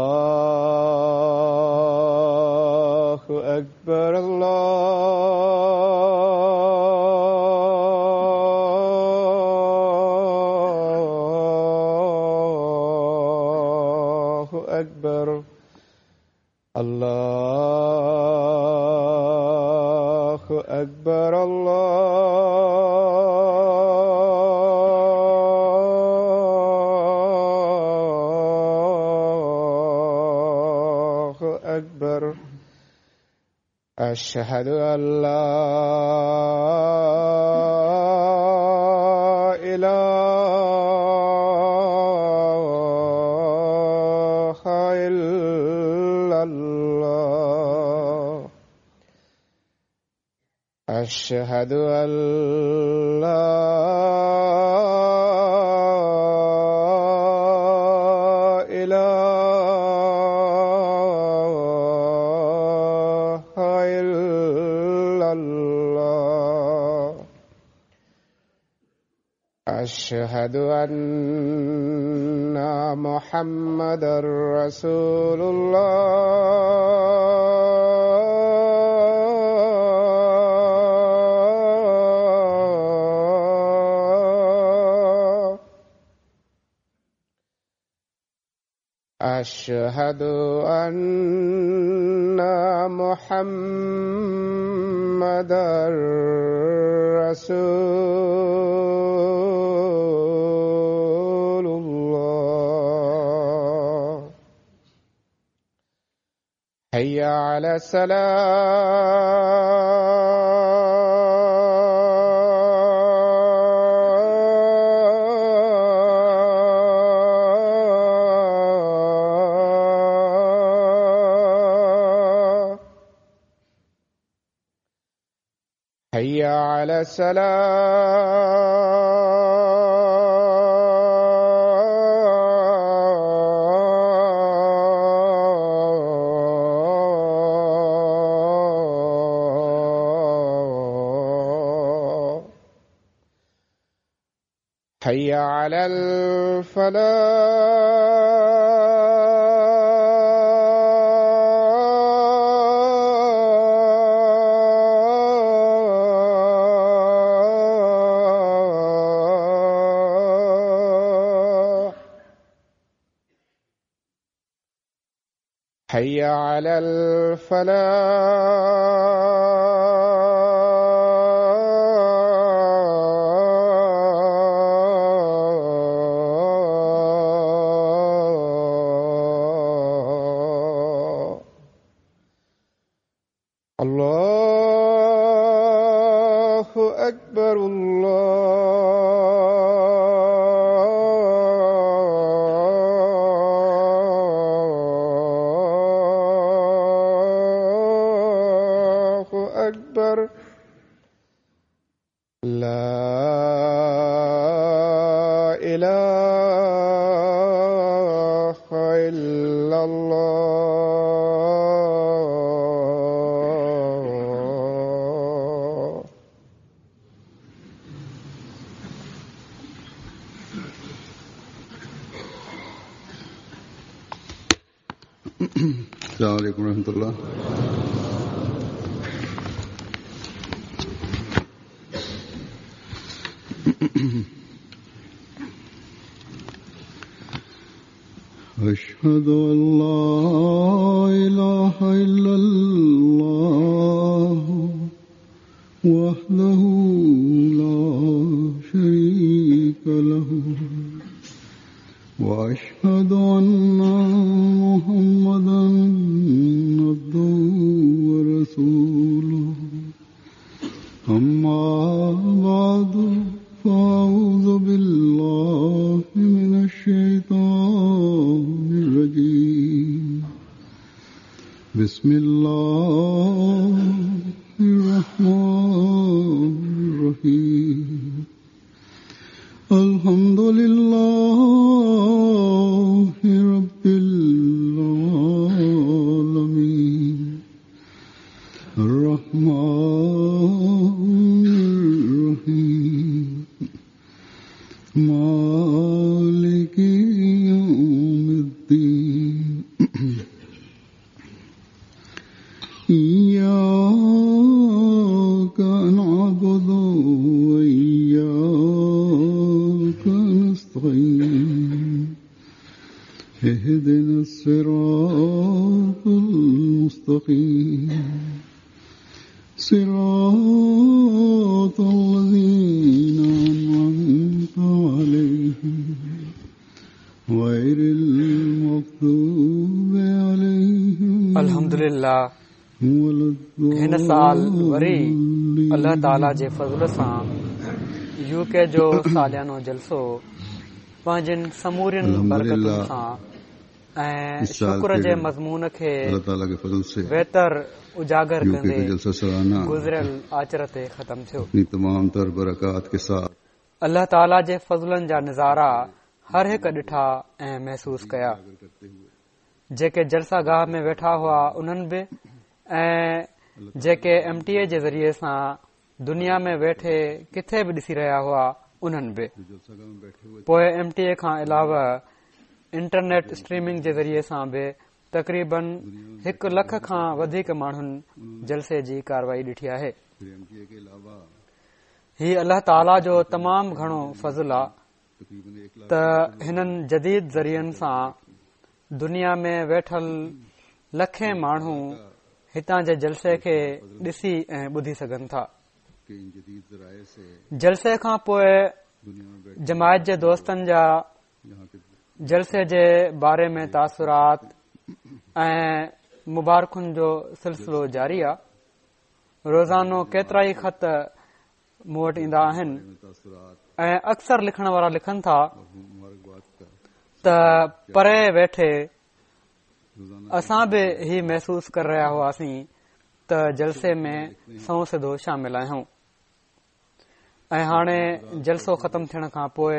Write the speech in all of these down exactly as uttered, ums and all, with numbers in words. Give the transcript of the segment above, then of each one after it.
Allahu Akbar, Allahu Akbar, Allahu Akbar, Allahu Akbar. أشهد أن لا إله إلا الله. أشهد أن لا إله إلا الله. أشهد أن محمدا رسول الله. أشهد أن محمدا رسول الله. حي على السلام. حي على السلام. حي على الفلاح. حي على الفلاح. الله أكبر، الله أكبر، لا إله إلا الله. السلام عليكم ورحمة الله. أشهد أن لا إله إلا الله وحده لا شريك له وأشهد أن محمدا عبده ورسوله. أما بعد فأعوذ بالله من الشيطان الرجيم. بسم الله الرحمن الرحيم. الحمد لله رب العالمين اهدنا الصراط المستقيم صراط الذين أنعمت عليهم غير المغضوب عليهم الحمد لله. هن سال وري الله تعاليٰ جي فضل سان يوڪي جو ساليانو جلسو پنهنجن سمورين برڪتن سان ۽ شڪر جي مضمون کي ويتر اجاگر ڪندي گذريل آچر تي ختم ٿيو. تمام تر برڪات के साथ الله تعاليٰ جي فضلن جا نظارا هر هڪ ڏٺا ۽ محسوس ڪيا. جيڪي جلسه گاهه ۾ ويٺا هئا انهن به ۽ جيڪي ايم ٽي اي جي ذريعي سان دنيا ۾ ويٺي ڪٿي به ڏسي رهيا هئا انهن به. پوءِ ايم ٽي اي کان علاوه انٽرنيٽ اسٽريمنگ جي ذريعي سان به تقريبن هڪ لک کان وڌيڪ ماڻهن جلسي جي ڪارروائي ڏٺي آهي. هي الله تعاليٰ جو تمام گهڻو فضل آهي ته هنن جديد ذريعن سان دنيا ۾ ويٺل لکين ماڻهو هتان جي جلسي کي ڏسي ۽ ٻڌي سگهن ٿا. جلسي کان پوءِ جماعت جي دوستن جا جلسي جي باري ۾ تاثرات ۽ مبارڪن جو سلسلو جاري آهي. روزانو ڪيترا ئي خط مون وٽ ايندا آهن ۽ اڪثر لکڻ وارا لکن ٿا ته پري ويٺي اسان به هي محسوس ڪري رهيا هئاسين ته جلسي ۾ سنئون سڌو شامل آهيون ۽ هاڻي جلسو ختم ٿيڻ کان پوءِ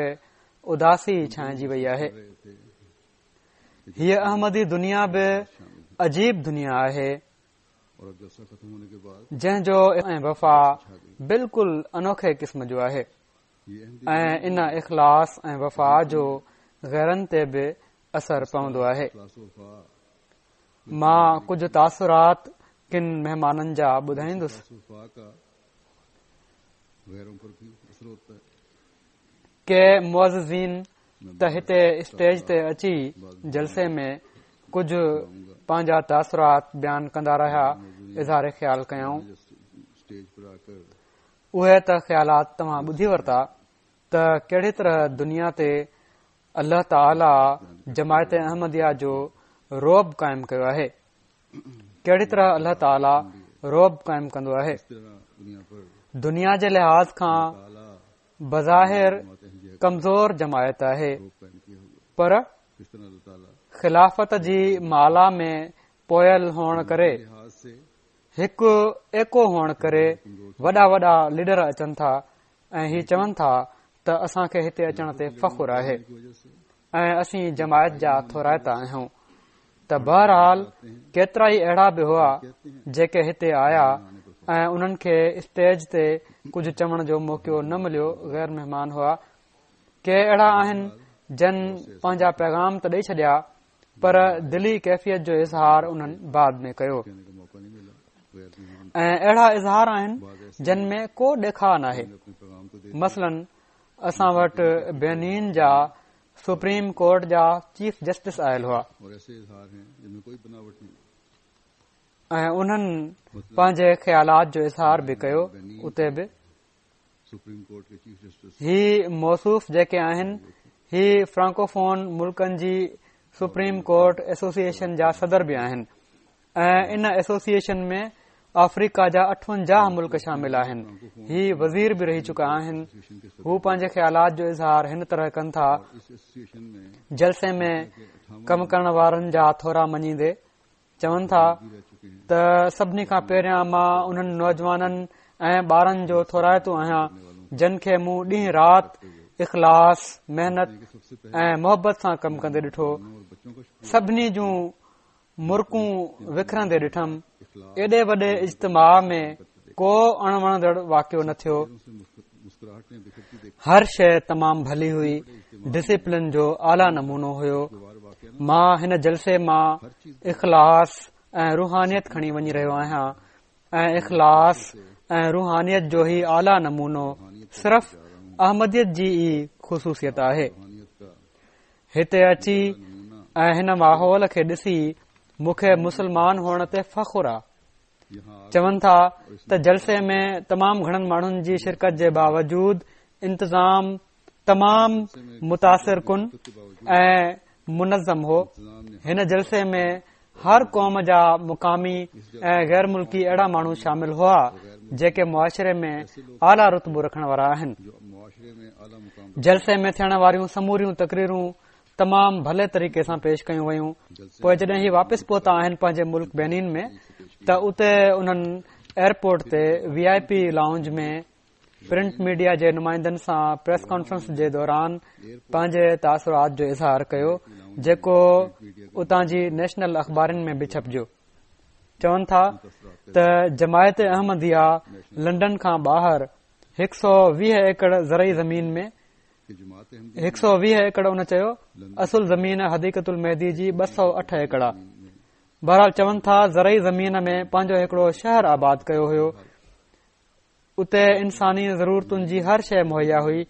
اداسي ڇانئجي وئي آهي. هيءَ احمدي دنيا به عجيب دنيا آهي جنهن جو ۽ وفا بلڪل انوکي قسم جو آهي ۽ ان اخلاص ۽ وفا جو غيرن تي به اثر پوندو آهي. مان ڪجهه تاثرات ڪن مهمانن جا ٻڌائيندس. ڪي معززين ته هتي اسٽيج تي اچي جلسي ۾ ڪجهه پنهنجا تاثرات بيان ڪندا رهيا، اظهار خيال ڪيائون. اهي ته خيالات توهان ٻڌي ورتا ته ڪهڙي طرح دنيا تي الله تعاليٰ جماعت احمديه جو رعب قائم ڪيو آهي، ڪهڙي طرح الله تعاليٰ رعب قائم ڪندو آهي. دنيا جي لحاظ کان بظاهر ڪمزور جماعت آهي پر خلافت جي مالا ۾ پويل هئڻ ڪري، هڪ ايڪو هئڻ ڪري وڏا وڏا ليڊر اچن ٿا ۽ هي چون ٿا ته اسان کي هتي اچڻ تي فخر آهي ۽ اسين جماعت جا ٿورائتا آهيون. ته بهرحال ڪيترا ئي اهڙا به هئا جيڪي هتي آيا ۽ انهن کي اسٽيج تي ڪجهه چوڻ جو موقعو نه مليو، غير مهمان هئا. ڪي اهڙا آهن جن پنهنجا پيغام ته ڏئي ڇڏيا پر دلي ڪيفيت جو اظهار انهن بعد ۾ ڪيو ۽ اهڙا اظهار آهن جن ۾ ڪو ڏيکاءُ ناهي. مثلاً اسان وٽ بينين جا سپريم ڪورٽ جا چيف جسٽس آيل هئا ۽ انهن پنهنجي خيالات جو اظهار به ڪيو. اتي به هي موصوف جيڪي آهن هي فرانڪوفون ملڪن جي سپريم ڪورٽ ايسوسيئيشن جا صدر به آهن ۽ ان ايسوسيئيشن ۾ آفريڪا جا اٺونجاهه ملڪ شامل آهن. هي وزير به رهي چڪا آهن. هو پنهنجي خيالات جو اظهار هن طرح ڪن ٿا، جلسي ۾ ڪم ڪرڻ وارن جا ٿورا مڃيندي چون ٿا ته سڀني کان پهريان مان انهن نوجوانن ۽ ٻارن جو ٿورائتو آهيان جن کي مون ڏينهن رات اخلاص، محنت ۽ محبت سان ڪم ڪندي ڏٺو. سڀني جون مرڪون وکرندي ڏٺم. ايڏي وڏي اجتماع ۾ ڪو اڻوڻندڙ واقعو نه ٿيو. هر شيءِ تمام ڀلي هئي. ڊسپلن جو اعليٰ نمونو هيو. مان هن جلسي مان اخلاص ۽ روحانيت کڻي وڃي رهيو آهيان ۽ اخلاص ۽ روحانيت جو هي اعليٰ نمونو صرف احمديت جي ئي خصوصيت آهي. هتي اچي ۽ هن ماحول کي ڏسي مون کي مسلمان هئڻ تي فخر آ. چون ٿا ته جلسي ۾ تمام گهڻن ماڻهن جي شرڪت جي باوجود انتظام تمام متاثر ڪن ۽ منظم هو. هن جلسي ۾ هر قوم جا مقامي ۽ غير ملڪي اهڙا ماڻهو شامل هئا جيڪي معاشري ۾ اعليٰ رتبو رکڻ وارا آهن. جلسي ۾ ٿيڻ واريون سموريون تقريرون تمام ڀلي طريقي سان پيش ڪيون ويون. پوءِ جڏهن هي واپس پهتا آهن پنهنجي ملڪ بينين ۾ ته اتي انهن ايئرپورٽ تي V I P lounge ۾ print media جي نمائندن سان پريس ڪانفرنس جي دوران پنهنجي تاثرات جو اظهار ڪيو، جيڪو اتان جي نيشنل اخبارن ۾ به ڇپجيو. چون ٿا ته جماعت احمديه لنڊن کان ٻاهر هڪ سؤ ويهه ايڪڙ زرعي زمين ۾ هڪ سؤ ويهه ايڪڙ ان چيو اصل زمين حديقة المهدي جي ٻه سؤ اٺ ايڪڙ آ. بهرحال چون ٿا زرعي زمين ۾ پنهنجو هڪڙو شهر آباد ڪيو هيو. اتي انساني ضرورتن جي هر شيءِ مهيا هئي.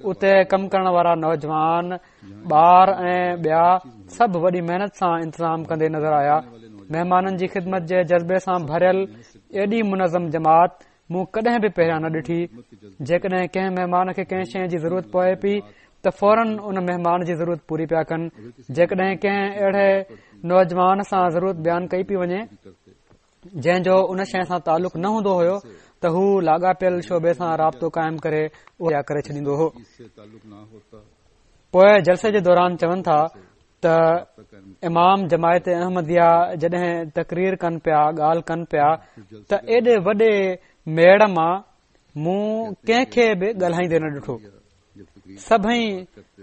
اتي ڪم ڪرڻ وارا نوجوان، ٻار ۽ ٻيا سڀ وڏي محنت سان انتظام ڪندي نظر آيا. مهمانن جي خدمت جي جذبي سان ڀريل ايڏي منظم جماعت مون ڪڏهن به پهريان نه ڏٺي. جيڪڏهن ڪنهن مهمان کي ڪنهن شيءِ جي ضرورت پوي پئي ته فورن ان مهمان جي ضرورت پوري پيا ڪن. جيڪڏهن ڪنهن اهڙي نوجوان سان ضرورت بيان ڪئي پئي وڃي جنهن جو ان شيءِ سان تعلق نه هوندو هيو ته هو لاڳاپيل شعبي سان رابطو قائم ڪري اها ڪري ڇڏيندو هو. پوءِ جلسي جي دوران چون ٿا ته امام جماعت احمديه جڏهن تقرير ڪن پيا، ڳالهه ڪن پيا ته ايڏي وڏي ميڙ مان مون ڪنهن کي به ڳالهائيندي نه ڏٺو. سڀئي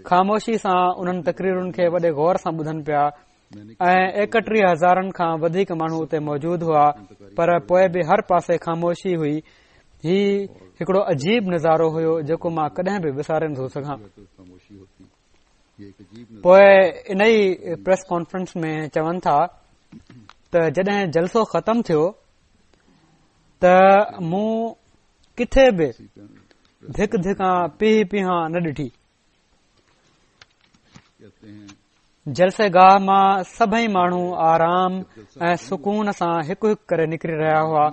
خاموشي سان انهن تقريرن کي وڏي غور سان ٻڌن پيا ۽ ايڪٽيهه هزارن کان وڌيڪ ماڻهو اتي موجود هئا، پر پوءِ به هر پاسي خاموشي هئي. هي هڪڙو عجيب نظارو هيو جيڪو مان ڪڏهن به وساري نٿو سگهان. پوءِ ان ئي پريس ڪانفرنس ۾ چون ٿا ته جڏهن جلسو ختم ٿيو ته مون ڪٿي به ڌڪ ڌڪان پيهه پيهان نه ڏٺي. جلسي گاهه مان سڀئي ماڻهو آرام ۽ سڪون سان هڪ هڪ ڪري نڪري رهيا هئا.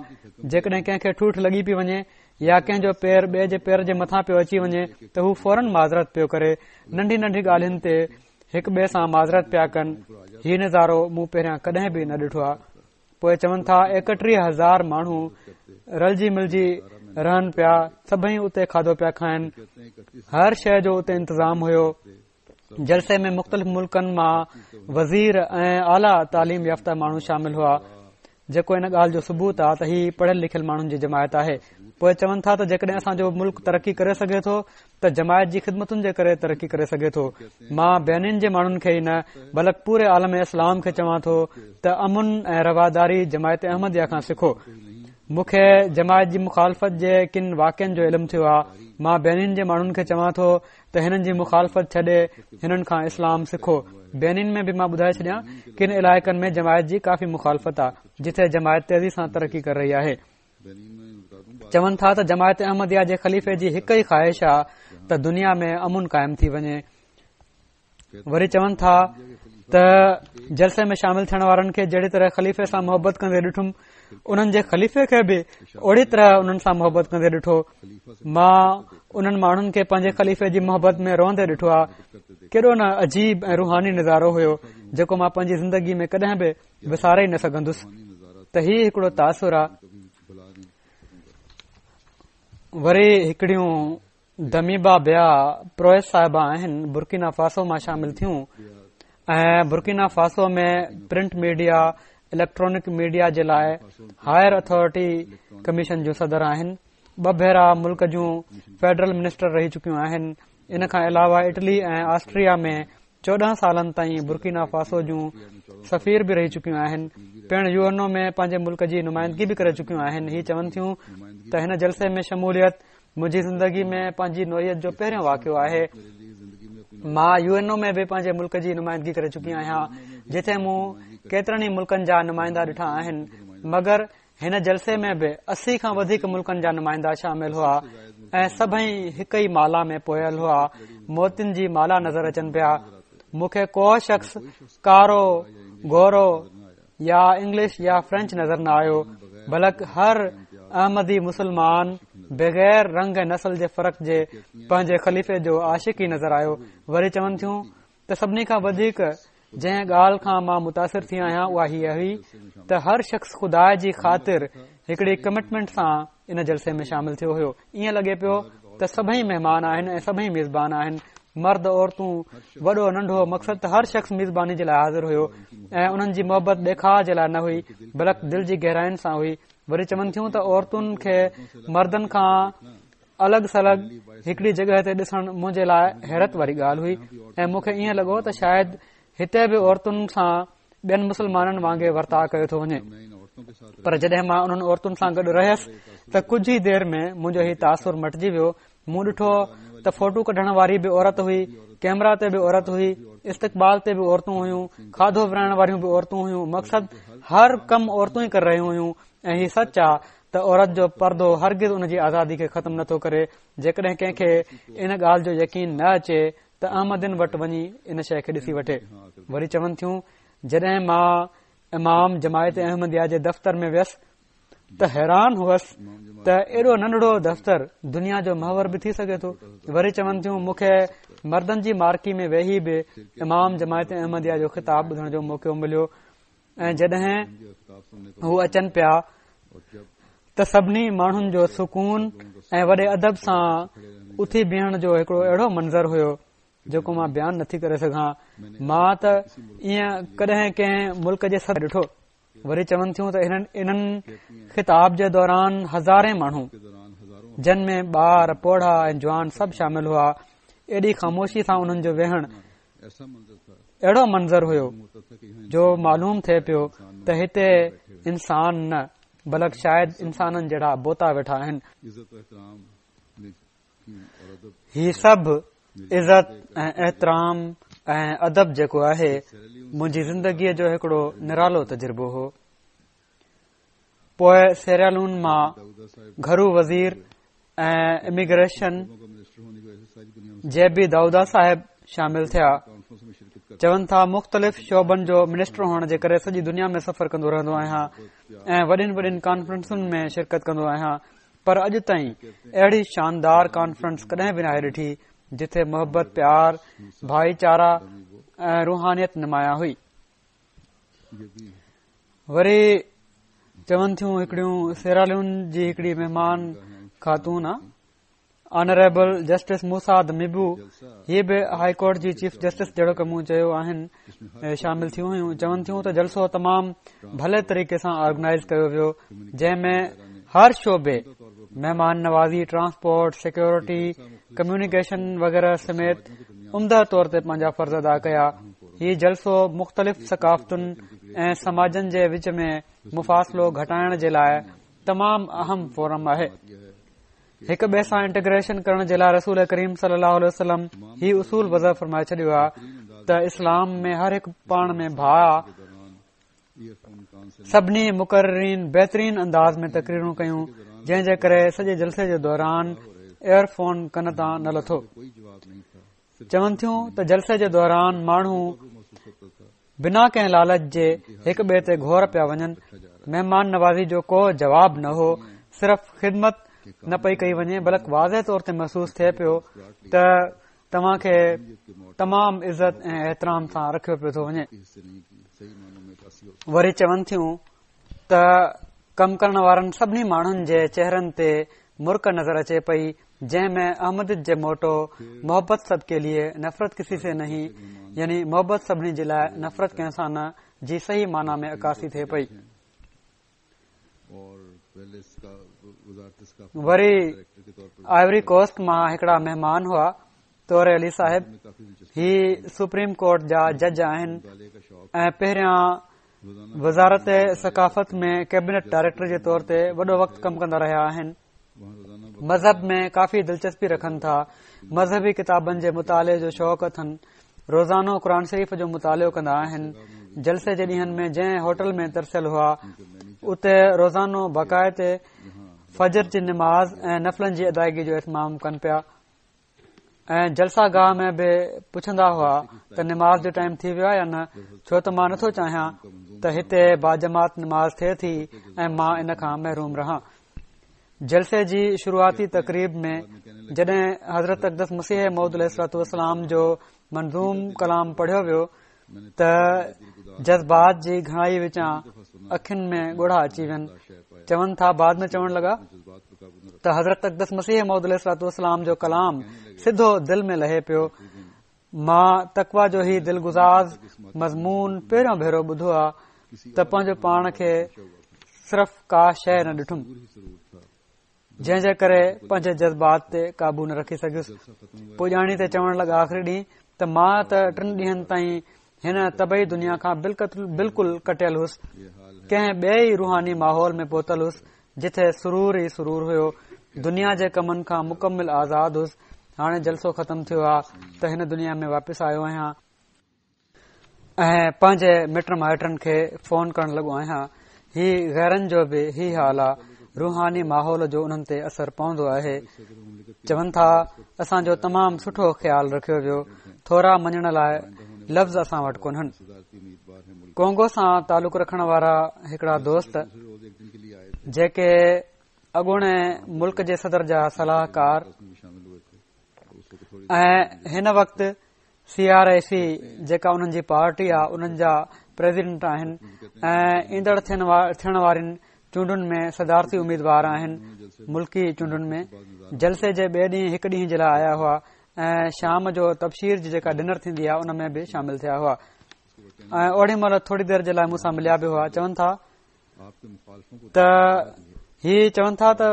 جيڪڏهن ڪنهن کي ٺوٺ لڳي پئي وڃي يا ڪنهن جو پير ٻئي جي پير جي مٿان پيو اچي وڃي ته هو فورن معذرت پيو ڪري. ننڍي ننڍي ڳالهين تي هڪ ٻئي سان معذرت پيا ڪن. هي نظارو مون پهريان ڪڏهن به نه ڏٺو آهي. پوءِ چون ٿا ايڪٽيهه هزار ماڻهو رلجي ملجي رهن پيا، سڀئي اتي کاڌو پيا کائن، هر شيءِ جو اتي انتظام هيو. جلسي ۾ مختلف ملڪن مان وزير ۽ اعليٰ تعليم يافته ماڻهو شامل هئا، جيڪو ان ڳالهه جو ثبوت آهي ته هي پڙهيل لکيل ماڻهن جي جماعت آهي. پوءِ چون ٿا ته جيڪڏهن اسان جو ملڪ ترقي ڪري سگهي ٿو ته جماعت جي خدمتن جي ڪري ترقي ڪري سگهي ٿو. مان بينين جي ماڻهن کي ئي نه بلڪ پوري عالم اسلام کي چوان ٿو ته امن ۽ رواداري جماعت احمديه کان سکو. مون کي جماعت جي مخالفت جي ڪن واقعن جو علم ٿيو آهي. مان بينين جي ماڻهن کي چوان ٿو ته هنن جي مخالفت ڇڏي هنن کان اسلام سکو. بينين ۾ به مان ٻڌائي ڇڏيان ڪن علائقن ۾ جماعت جي ڪافي مخالفت آهي، جتي جماعت تيزي سان ترقي ڪري رهي آهي. چون ٿا ته جماعت احمديه جي خليفي جي هڪ ئي خواهش آهي ته دنيا ۾ امن قائم ٿي وڃي. وري چون ٿا ته جلسي ۾ شامل ٿيڻ وارن کي جهڙي طرح خليفي سان محبت ڪندي ڏٺم، انهن جي خليفي کي به اوڙي طرح انهن سان محبت ڪندي ڏٺو. مان انهن ماڻهن کي پنهنجي خليفي جي محبت ۾ روئندي ڏٺو آهي. ڪيڏو نه عجيب ۽ روحاني نظارو هيو جيڪو مان پنهنجي زندگي ۾ ڪڏهن به وساري ئي نه سگهندس. ته هي هڪڙو تاثر آهي. وري هڪڙيون دميبا بيا پرويز صاحبه آهن، برڪينا فاسو مان شامل ٿيون ۽ Burkina Faso ۾ print media, electronic media جي لاءِ هائر اٿارٽي ڪميشن جون صدر آهن. ٻه ڀيرا ملڪ جون فيڊرل منسٽر رهي چڪيون آهن. ان کان علاوه اٽلي ۽ آسٽريا ۾ چوڏهن سالن تائين برڪينا فاسو جون سفير به رهي چڪيون آهن. پڻ يو اين او ۾ پنهنجي ملڪ جي نمائندگي به ڪري چڪيون آهن. هي چون ٿيون ته هن جلسي ۾ شموليت منهنجي زندگي ۾ پنهنجي نوعيت جو پهريون واقعو آهي. مان يو اين او ۾ به پنهنجي ملڪ جي نمائندگي ڪري چڪي آهيان، جتي مون ڪيترن ئي ملڪن جا نمائندا ڏٺا آهن، مگر هن جلسي ۾ به اسي کان وڌيڪ ملڪن جا نمائندا شامل هئا ۽ سڀئي هڪ ئي مالا ۾ پويل هئا. موتين جي مالا نظر اچن پيا. مون کي ڪو شخص ڪارو، گورو يا انگلش يا فرينچ نظر نه آيو، بلڪ هر احمدي مسلمان بغير رنگ ۽ نسل جي فرق جي پنهنجي خليفي جو عاشق ئي نظر آيو. وري چون ٿيون ته سڀني کان وڌيڪ جنهن ڳالهه کان مان متاثر ٿي آهيان اها هيء هئي ته هر شخص خدا جي خاطر هڪڙي ڪمٽمينٽ سان ان جلسي ۾ شامل ٿيو هيو. ائين لڳي پيو ته سڀئي مهمان آهن ۽ سڀئي ميزبان آهن، مرد عورتون، وڏو ننڍو، مقصد ته هر شخص ميزباني جي لاء حاضر هيو ۽ انهن جي محبت ڏيکاء جي لاء نه هئي بلڪ دل جي گهراين سان هئي. وري چون ٿيون ته عورتن کي مردن کان الڳ سلڳ هڪڙي جڳهه تي ڏسڻ منهنجي لاء حيرت واري ڳالهه هئي ۽ مون کي ائين لڳو ته شايد هتي به عورتن سان ٻين مسلمانن وانگي ورتاء ڪيو ٿو وڃي. پر جڏهن مان انهن عورتن سان گڏ رهيس ته ڪجهه ئي دير ۾ منهنجو هي تاثر مٽجي ويو. مون ڏٺو ته فوٽو ڪڍڻ واري به عورت هئي، ڪيمرا تي به عورت هئي، استقبال تي به عورتون هيون، کاڌو ورهائڻ واريون به عورتون هيون، مقصد هر ڪم عورتون ئي ڪري رهيون هيون. ۽ هي سچ آ ته عورت جو پردو هرگز ان جي آزادي کي ختم نٿو ڪري. جيڪڏهن ڪنهن کي ان ڳالهه جو يقين نه اچي ته احمدين وٽ وڃي ان شيء کي ڏسي وٺي. وري چون ٿيون جڏهن مان امام جماعت احمديه جي دفتر ۾ ويس ته حيران هئس ته ايڏو ننڍڙو دفتر دنيا جو محور به ٿي سگهي ٿو. وري چون ٿيون مون کي مردن جي مارڪي ۾ ويهي به امام جماعت احمديه جو خطاب ٻڌڻ جو موقعو مليو ۽ جڏهن هو اچن پيا ته سڀني ماڻهن جو سڪون ۽ وڏي ادب سان اٿي بيهڻ جو هڪڙو اهڙو منظر هيو جيڪو مان بيان نٿي ڪري سگهان. مان ته ائين ڪڏهن ڪنهن ملڪ جي صدر ڏٺو. وري چون ٿيون ته انهن انهن خطاب جي دوران هزارين ماڻهو جن ۾ ٻار، پوڙها ۽ جوان سڀ شامل هئا، ايڏي خاموشي سان انهن جو ويهڻ اهڙو منظر هيو جو معلوم ٿئي پيو ته هتي انسان نه بلڪ شايد انسانن جهڙا بوتا ويٺا آهن. هي سڀ عزت ۽ احترام ۽ ادب جيڪو آهي منهنجي زندگيء جو هڪڙو نرالو تجربو هو. پوء سيرالون مان گهرو وزير ۽ اميگريشن جي بي دائودا صاحب شامل ٿيا. چون ٿا مختلف شعبن جو منسٽر هئڻ جي ڪري سڄي دنيا ۾ سفر ڪندو رهندو آهيان ۽ وڏين وڏين ڪانفرنسن ۾ شرڪت ڪندو آهيان، پر اڄ تائين اهڙي شاندار ڪانفرنس ڪڏهن به ناهي ڏٺي جتي محبت، پيار، ڀائيچارا ۽ روحانيت نمايان هئي. وري چون ٿيون هڪڙيون سيراليون جي هڪڙي مهمان خاتون آ آنريبل جسٽس موسيٰ دميبو، هي به هائي ڪورٽ جي چيف جسٽس جهڙوڪ مون چيو آهن شامل ٿيون هيون. چون ٿيون ته جلسو تمام ڀلي طريقي سان آرگنائز ڪيو ويو جنهن ۾ هر شعبي مهمان نوازي، ٽرانسپورٽ، سيڪيورٽي، ڪميونيڪيشن وغيره سميت عمده طور تي پنهنجا فرض ادا ڪيا. هي جلسو مختلف ثقافتن ۽ سماجن جي وچ ۾ مفاصلو گهٽائڻ جي لاء تمام اهم فورم آهي. هڪ ٻئي سان انٽيگريشن ڪرڻ جي لاء رسول ڪريم صلي الله عليه وسلم هي اصول وضع فرمائي ڇڏيو آهي ته اسلام ۾ هر هڪ پاڻ ۾ ڀاء. سڀني مقررين بهترين انداز ۾ تقريرون ڪيون جنهن جي ڪري سڄي جلسي جي دوران ايئر فون ڪن تان نه لٿو. چون ٿيون ته جلسي جي دوران ماڻهو بنا ڪنهن لالچ جي هڪ ٻئي تي گهور پيا وڃن. مهمان نوازي جو ڪو جواب نه هو، صرف خدمت نه پئي ڪئي وڃي بلڪ واضح طور تي محسوس ٿئي پيو ته توهان کي تمام عزت ۽ احترام سان رکيو پيو ٿو وڃي. وري چون ٿيون ته ڪم ڪرڻ وارن سڀني ماڻهن جي چهرن تي مرڪ نظر اچي پئي جنهن ۾ احمديت جي موٽو محبت سب ڪي ليي نفرت ڪسي سي نهين يعني محبت سڀني جي لاء نفرت ڪنهن سان نه جي صحيح معنيٰ ۾ عڪاسي ٿئي پئي. وري آئيوري ڪوسٽ مان هڪڙا مهمان هئا طور علي صاحب، هي سپريم ڪورٽ جا جج آهن ۽ پهريان وزارت ثقافت ۾ ڪيبنٽ ڊائريڪٽر جي طور تي وڏو وقت ڪم ڪندا رهيا آهن. مذهب ۾ ڪافي دلچسپي رکن ٿا. مذهبي ڪتابن جي مطالعي جو شوق اٿن. روزانو قرآن شريف جو مطالعو ڪندا آهن. جلسي جي ڏينهن ۾ جنهن هوٽل ۾ ترسيل هئا اتي روزانو باقاعدي فجر جي نماز ۽ نفلن جي ادائگي جو اهتمام ڪن پيا ۽ جلسه گاهه ۾ به پڇندا هئا ته نماز جو ٽائيم ٿي ويو آهي يا نه، ڇو ته مان نٿو چاهيان ته هتي باجماعت نماز ٿئي ٿي ۽ مان ان کان محروم رهان. جلسي جي شروعاتي تقريب ۾ جڏهن حضرت اقدس مسيح موعود عليه الصلوة والسلام جو منظوم ڪلام پڙهيو ويو ته جذبات جي گهڻائي وچان اکين ۾ ڳوڙها اچي وين. چون ٿا بعد ۾ چوڻ لڳا ته حضرت اقدس مسيح موعود عليه الصلوة والسلام جو ڪلام سڌو دل ۾ لهي پيو. مان تقويٰ جو هي دلگداز مضمون پهريون ڀيرو ٻڌو آ ته پنهنجو پاڻ کي صرف ڪا شيء نه ڏٺم، جنهن جي ڪري پنهنجي جذبات تي قابو نه رکي سگهيس. پڄاڻي تي چوڻ لڳا آخري ڏينهن ته مان ته ٽن ڏينهن تائين هن طبعي دنيا کان بلڪل ڪٽيل هوس، ڪنهن ٻئي ئي روحاني ماحول ۾ پهتل هوس جتي سرور ئي سرور هيو، دنيا جي ڪمن کان مڪمل آزاد هوس. هاڻي جلسو ختم ٿيو آ ته هن دنيا ۾ واپس آيو آهيان ۽ پنهنجي مٽ مائٽن کي فون ڪرڻ لڳو آهيان. هي غيرن جو به هي حال آ، روحاني ماحول جو انهن تي اثر پوندو آهي. چون ٿا اسان جو تمام سٺو خيال رکيو ويو، ٿورا مڃڻ لاء لفظ اسان وٽ ڪونهن. ڪونگو سان تعلق رکڻ وارا هڪڙا دوست جيڪي اڳوڻي ملڪ جي صدر جا صلاحڪار ۽ هن وقت سي آر I سي جيڪا انهن جي پارٽي آ انهن جا پريزيڊنٽ آهن ۽ ايندڙ ٿيڻ وارين چونڊن ۾ صدارتي اميدوار آهن. ملڪي چونڊن ۾ جلسي جي ٻئي ڏينهن هڪ ڏينهن جي لاء آيا هئا ۽ شام جو تبشير جي جيڪا ڊنر ٿيندي آ ان ۾ به شامل ٿيا هئا ۽ اوڏي مهل ٿوري دير جي لاء مون سان مليا به هئا. چون ٿا ته هي چون ٿا ته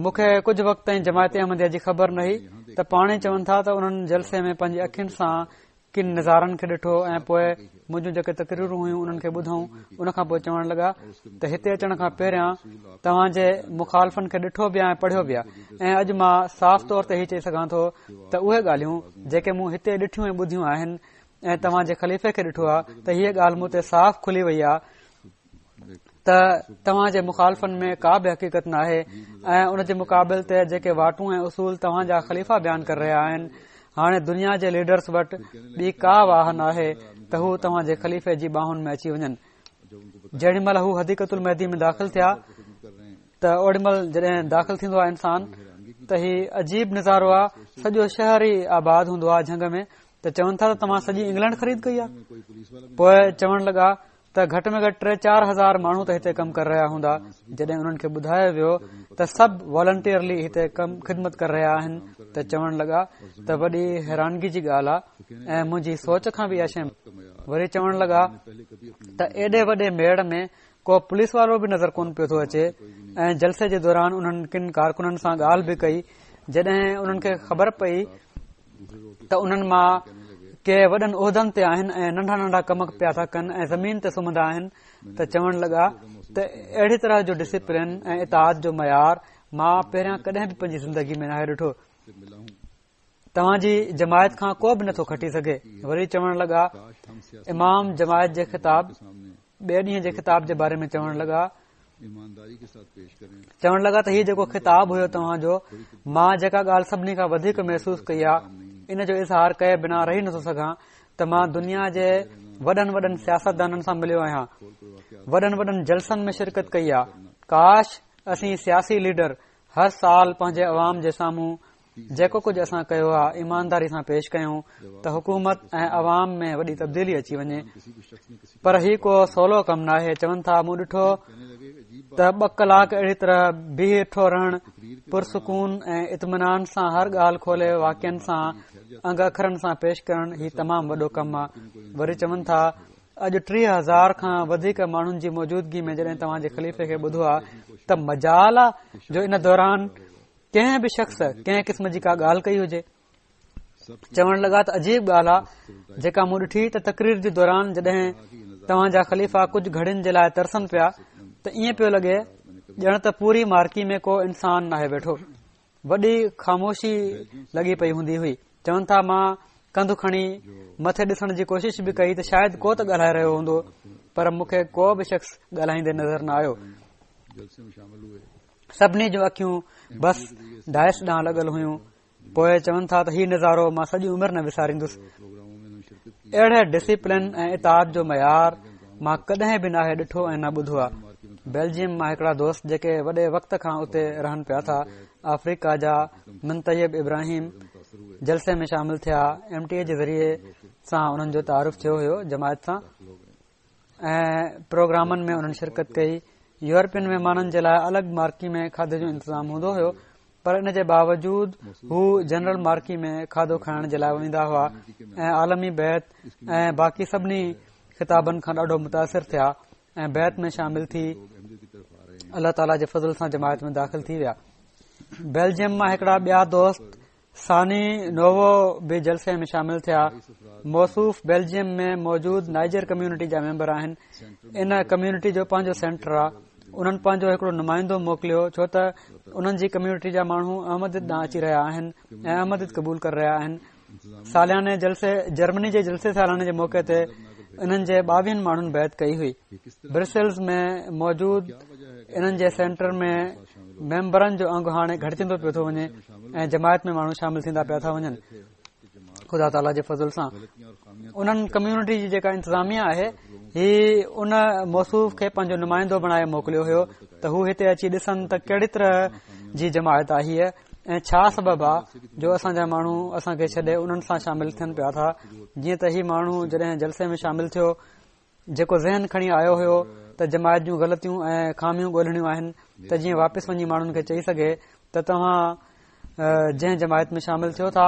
مون کي ڪجهه وقت تائين جماعت احمديه جي خبر نه هئي ته پاڻ ئي چون ٿا ته انهن جلسي ۾ پنهنجي اکين سان ڪن نظارن کي ڏٺو ۽ پوء منهنجون جيڪي تقريرون هيون انهن کي ٻڌائون. ان کان پوء چوڻ لڳا ته هتي اچڻ کان پهريان توهان جي مخالفن کي ڏٺو به آهي ۽ پڙهيو به آهي ۽ اڄ مان صاف طور تي هي چئي سگهان ٿو ته اهي ڳالهيون جيڪي مون هتي ڏٺيون ۽ ٻڌيون آهن ۽ توهان جي خليفي کي ڏٺو آهي ته هيء ڳالهه مون تي صاف کلي وئي آهي ته توهان جي مخالفن ۾ ڪا به حقيقت ناهي ۽ ان جي مقابل تي جيڪي واٽون ۽ اصول توهان جا خليفا بيان ڪري رهيا آهن، هاڻي دنيا جي ليڊرز وٽ ٻي ڪا واهه ناهي ته هو توهان جي خليفي جي ٻانهن ۾ اچي وڃن. جيڏي مهل هو حديقة المهدي ۾ داخل ٿيا ته اوڏي مهل جڏهن داخل ٿيندو آهي انسان ته هي عجيب نظارو آهي، سڄو شهر ئي آباد هوندو آهي جهنگ ۾. ته چون ٿا ته توهان سڄي انگلينڊ خريد ڪئي آهي؟ پوء چوڻ لڳا ته گهٽ ۾ گهٽ ٽي چار هزار ماڻهو ته هتي ڪم ڪري رهيا هوندا. جڏهن انهن کي ٻڌايو ويو ته سڀ والنٽيئرلي هتي ڪم خدمت ڪري رهيا آهن ته چوڻ لڳا ته وڏي حيرانگي جي ڳالهه آهي ۽ منهنجي سوچ کان به اها شيء. وري چوڻ لڳا ته ايڏي وڏي ميڙ ۾ ڪو پوليس وارو به نظر ڪونه پيو ٿو اچي ۽ جلسي جي دوران انهن ڪن ڪارڪنن سان ڳالهه به ڪئي. جڏهن انهن کي خبر پئي ته انهن مان ڪي وڏن عهدن تي آهن ۽ ننڍا ننڍا ڪم پيا ٿا ڪن ۽ زمين تي سمهندا آهن ته چوڻ لڳا ته اهڙي طرح جو ڊسپلن ۽ اطاعت جو معيار مان پهريان ڪڏهن به پنهنجي زندگي ۾ ناهي ڏٺو. توهان جي جماعت کان ڪو به نٿو کٽي سگهي. وري چوڻ لڳا امام جماعت جي خطاب ٻئي ڏينهن جي خطاب جي باري ۾ چوڻ لڳا چوڻ لڳا ته هي جيڪو خطاب هيو توهان جو، مان جيڪا ڳالهه سڀني کان وڌيڪ محسوس ڪئي آ ان جو اظهار ڪئي بنا رهي نٿو سگهان ته مان دنيا جي وڏن وڏن سياستدانن سان مليو آهيان، وڏن وڏن جلسن ۾ شرڪت ڪئي آ، ڪاش اسين سياسي ليڊر هر سال پنهنجي عوام جي سامهون جيڪو ڪجهه اسان ڪيو آهي ايمانداري سان پيش ڪيون ته حڪومت ۽ عوام ۾ وڏي تبديلي اچي وڃي، پر هي ڪو سولو ڪم ناهي. چون ٿا مون ڏٺو ته ٻه ڪلاڪ اهڙي طرح بيٺو رهڻ، پرسڪون ۽ اطمينان سان هر ڳالهه کولي واقعن سان انگ اکرن سان پيش ڪرڻ هي تمام وڏو ڪم آهي. وري چون ٿا اڄ ٽيهه هزار کان وڌيڪ ماڻهن جي موجودگي ۾ جڏهن توهان جي خليفي کي ٻڌو آهي ته مجال آ جو ان دوران ڪنهن به شخص ڪنهن قسم جي ڪا ڳالهه ڪئي هجي. چوڻ لڳا ته عجيب ڳالهه آ جيڪا مون ڏٺي ته تقرير جي دوران جڏهن توهان جا خليفا ڪجهه گهڙين جي لاء ترسن پيا ته ائين پيو لڳي ڄڻ ته پوري مارڪي ۾ ڪو انسان ناهي ويٺو، وڏي خاموشي لڳي پئي هوندي هئي. چون ٿا مان ڪنڌ کڻي مٿي ڏسڻ جي ڪوشش به ڪئي ته شايد ڪو ته ڳالهائي رهيو هوندو، پر مون کي ڪو به شخص ڳالهائيندي نظر نه آيو. سڀني جون اکيون بس ڊائس ڏانهن لڳل هيون. پوءِ چون ٿا ته هي نظارو مان سڄي عمر نه وساريندس. اهڙي ڊسيپلن ۽ اطاعت جو معيار مان ڪڏهن به ناهي ڏٺو ۽ نه ٻڌو آهي. بيلجيم مان هڪڙا دوست جيڪي وڏي وقت کان اتي رهن پيا ٿا، آفريڪا جا منطيب ابراهيم جلسي ۾ شامل ٿيا. ايم ٽي اي جي ذريعي سان انهن جو تعارف ٿيو هيو جماعت سان ۽ پروگرامن ۾ انهن شرڪت ڪئي. يورپين مهمانن جي لاءِ الڳ مارڪي ۾ کاڌي جو انتظام هوندو هيو، پر ان جي باوجود هو جنرل مارڪي ۾ کاڌو کائڻ جي لاءِ ويندا هئا ۽ عالمي بيعت ۽ باقي سڀني خطابن کان ڏاڍو متاثر ٿيا ۽ بيعت ۾ شامل ٿي الله تعاليٰ جي فضل سان جماعت ۾ داخل ٿي ويا. بيلجيم مان هڪڙا ٻيا دوست ثاني نووو به جلسي ۾ شامل ٿيا. موصوف بيلجيم ۾ موجود نائجر ڪميونٽي جا ميمبر آهن. ان ڪميونٽي جو پنهنجو سينٽر آهي. انهن پنهنجو هڪڙو نمائندو موڪليو، ڇو ته انهن جي ڪميونٽي جا ماڻهو احمديت ڏانهن اچي رهيا آهن ۽ احمديت قبول ڪري رهيا آهن. سالياني جلسي جرمني جي جلسي سالاني جي موقعي تي انهن جي ٻاويهن ماڻهن بيعت ڪئي هئي. برسلز ۾ موجود انهن جي سينٽر ۾ ميمبرن جو انگ هاڻي گهٽجندو پيو ٿو وڃي ۽ جماعت ۾ ماڻهو شامل ٿيندا پيا ٿا وڃن. خدا تعاليٰ جي فضل سان انهن ڪميونٽي جي جيڪا انتظاميه آهي، هي ان موصوف کي پنهنجو نمائندو بڻائي موڪليو هيو ته هو هتي اچي ڏسن ته ڪهڙي طرح جي جماعت آهي ۽ ڇا سبب آهي جو اسان جا ماڻهو اسان کي ڇڏي انهن سان شامل ٿين پيا ٿا. جيئن ته هي ماڻهو جڏهن جلسي ۾ شامل ٿيو، جيڪو ذهن کڻي آيو هيو ته جماعت جون غلطيون ۽ خاميون ڳولهڻيون آهن ته جيئن واپس وڃي ماڻهن کي چئي سگهي ته توهان جنهن جماعت ۾ شامل ٿيو ٿا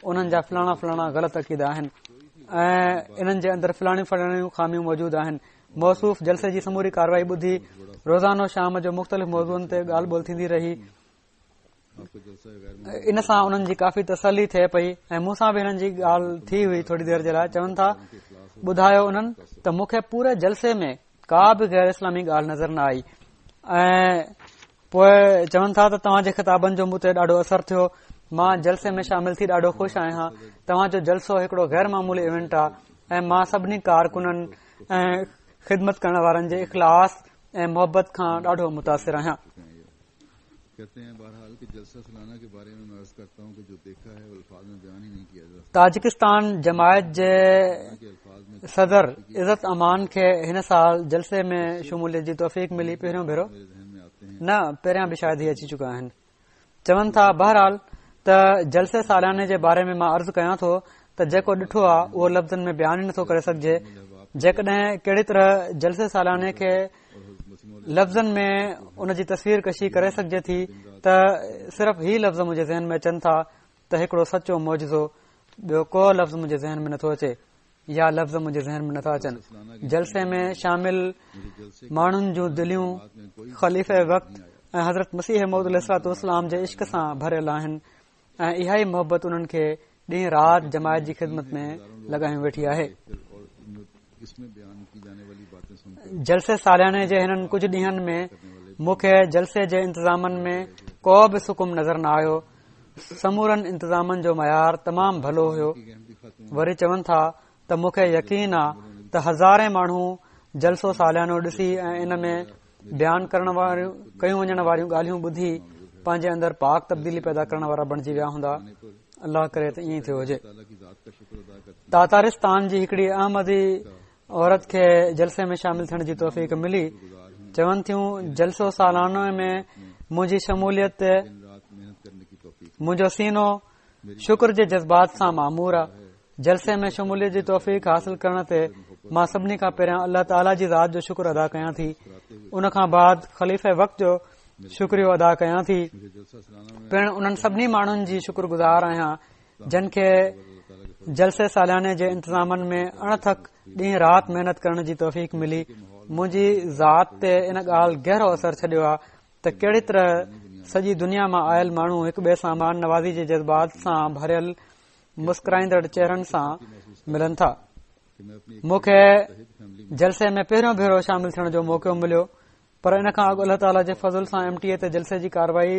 انهن جا فلاڻا فلاڻا غلط عقيدا آهن ۽ انهن جي اندر فلاڻيون فلاڻيون خاميون موجود آهن. موصوف جلسي جي سموري ڪارروائي ٻڌي روزانو شام جو مختلف موضوعن تي ڳالهه ٻولهه ٿيندي رهي. ان سان انهن جي ڪافي تسلي ٿئي پئي ۽ مون سان به هنن جي ڳالهه ٿي هئي ٿوري دير جي لاءِ. چون ٿا ٻڌايو انهن ته مون کي پوري جلسي ۾ ڪا به غير اسلامي ڳالهه نظر نه آئي. ۽ پوءِ چون ٿا ته توهان جي خطابن جو مون تي ڏاڍو اثر ٿيو. مان جلسي ۾ شامل ٿي ڏاڍو خوش آهيان. توهان جو جلسو هڪڙو غير معمولي ايونٽ آهي ۽ مان سڀني ڪارڪنن ۽ خدمت ڪرڻ وارن جي اخلاص ۽ محبت کان ڏاڍو متاثر آهيان. تاجڪستان جماعت جي صدر عزت امان کي هن سال جلسي ۾ شموليت جي توفيق ملي. پهريون ڀيرو نه، پهريان به شايد هي اچي چڪا آهن. چون ٿا بهرحال ته جلسي سالياني جي باري ۾ مان عرض ڪيان ٿو ته جيڪو ڏٺو آهي اهو لفظن ۾ بيان ئي نٿو ڪري سگهجي. جيڪڏهن ڪهڙي طرح جلسي سالياني کي لفظن ۾ ان جي تصوير ڪشي ڪري سگهجي ٿي ته صرف هي لفظ منهنجي ذهن ۾ اچن ٿا ته هڪڙو سچو معجزو، ٻيو ڪو لفظ منهنجي ذهن ۾ نٿو اچي يا لفظ منهنجي ذهن ۾ نٿا اچن. جلسي ۾ شامل ماڻهن جون دليون خليفه وقت ۽ حضرت مسيح موعود عليه الصلوة والسلام جي عشق سان ڀريل آهن ۽ اها ئي محبت انهن کي ڏينهن رات جماعت جي خدمت ۾ لڳايون ويٺي آهي. جلسي سالياني جي هنن ڪجهه ڏينهن ۾ مون کي جلسي جي انتظامن ۾ ڪو به سقم نظر نه آيو. سمورن انتظامن جو معيار تمام ڀلو هيو. وري چون ٿا ته مون کي يقين آ ته هزارين ماڻهو جلسو ساليانو ڏسي ۽ ان ۾ بيان ڪرڻ واريون ڪيون وڃڻ واريون ڳالهيون ٻڌي پنهنجي اندر پاڪ تبديلي پيدا ڪرڻ وارا بڻجي ويا هوندا. الله ڪري ته ائين ٿيو هجي. تاتارستان جي هڪڙي احمدي عورت کي جلسي ۾ شامل ٿيڻ جي توفيق ملي. چون ٿيون جلسو سالانو ۾ منهنجي شموليت تي منهنجو سينو شڪر جي جذبات سان معمور آ. جلسي ۾ شموليت جي توفيق حاصل ڪرڻ تي مان سڀني کان پهريان الله تعاليٰ جي ذات جو شڪر ادا ڪيان ٿي. ان کان بعد خليفه وقت جو شڪريو ادا ڪيان ٿي. پڻ انهن سڀني ماڻهن جي شڪر گذار آهيان جن کي جلسي سالياني جي انتظامن ۾ اڻٿڪ ڏينهن رات محنت ڪرڻ جي توفيق ملي. منهنجي ذات تي ان ڳالهه گهرو اثر ڇڏيو آهي ته ڪهڙي طرح سڄي دنيا مان آيل ماڻهو هڪ ٻئي سان مان نوازي جي جذبات سان ڀريل مسڪرائيندڙ چهرن سان ملن ٿا. مون کي جلسي ۾ پهريون ڀيرو شامل ٿيڻ جو موقعو مليو، پر ان کان اڳ الله تعاليٰ جي فضل سان ايم ٽي اي تي جلسي جي ڪارروائي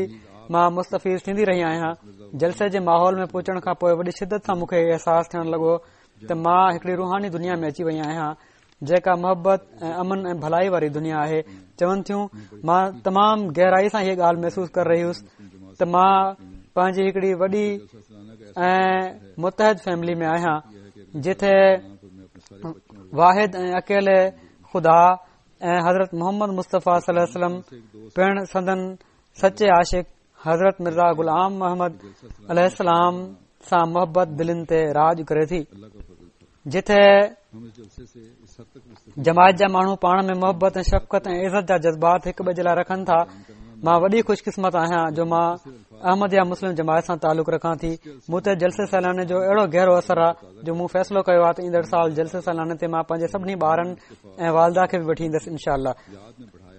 مان مستفيض ٿيندي رهي آهيان. جلسي جي ماحول ۾ پهچڻ کان پوءِ وڏي شدت سان مون کي احساس ٿيڻ لڳو ته مان هڪڙي روحاني دنيا ۾ اچي وئي آهيان جيڪا محبت ۽ امن ۽ ڀلائي واري دنيا آهي. چون ٿيون مان تمام گهرائي سان هيءَ ڳالهه محسوس ڪري رهي هيس ته مان پنهنجي هڪڙي وڏي ۽ متحد فيملي ۾ آهيان، جتي واحد ۽ اڪيلي خدا ۽ حضرت محمد مصطفيٰ صلي الله عليه وسلم پڻ سندن سچي عاشق حضرت مرزا غلام محمد عليه السلام سان محبت دلين تي راڄ ڪري ٿي، جتي جماعت جا ماڻهو پاڻ ۾ محبت ۽ شفقت ۽ عزت جا جذبات هڪ ٻئي جي لاء رکن ٿا. مان وڏي خوش قسمت آهيان جو مان احمديه مسلم جماعت سان تعلق رکان ٿي. مون تي جلسي سالاني جو اهڙو گهرو اثر آهي جو مون فيصلو ڪيو آهي ته ايندڙ سال جلسي سالاني تي مان پنهنجي سڀني ٻارن ۽ والده کي به وٺي ايندس انشاء الله.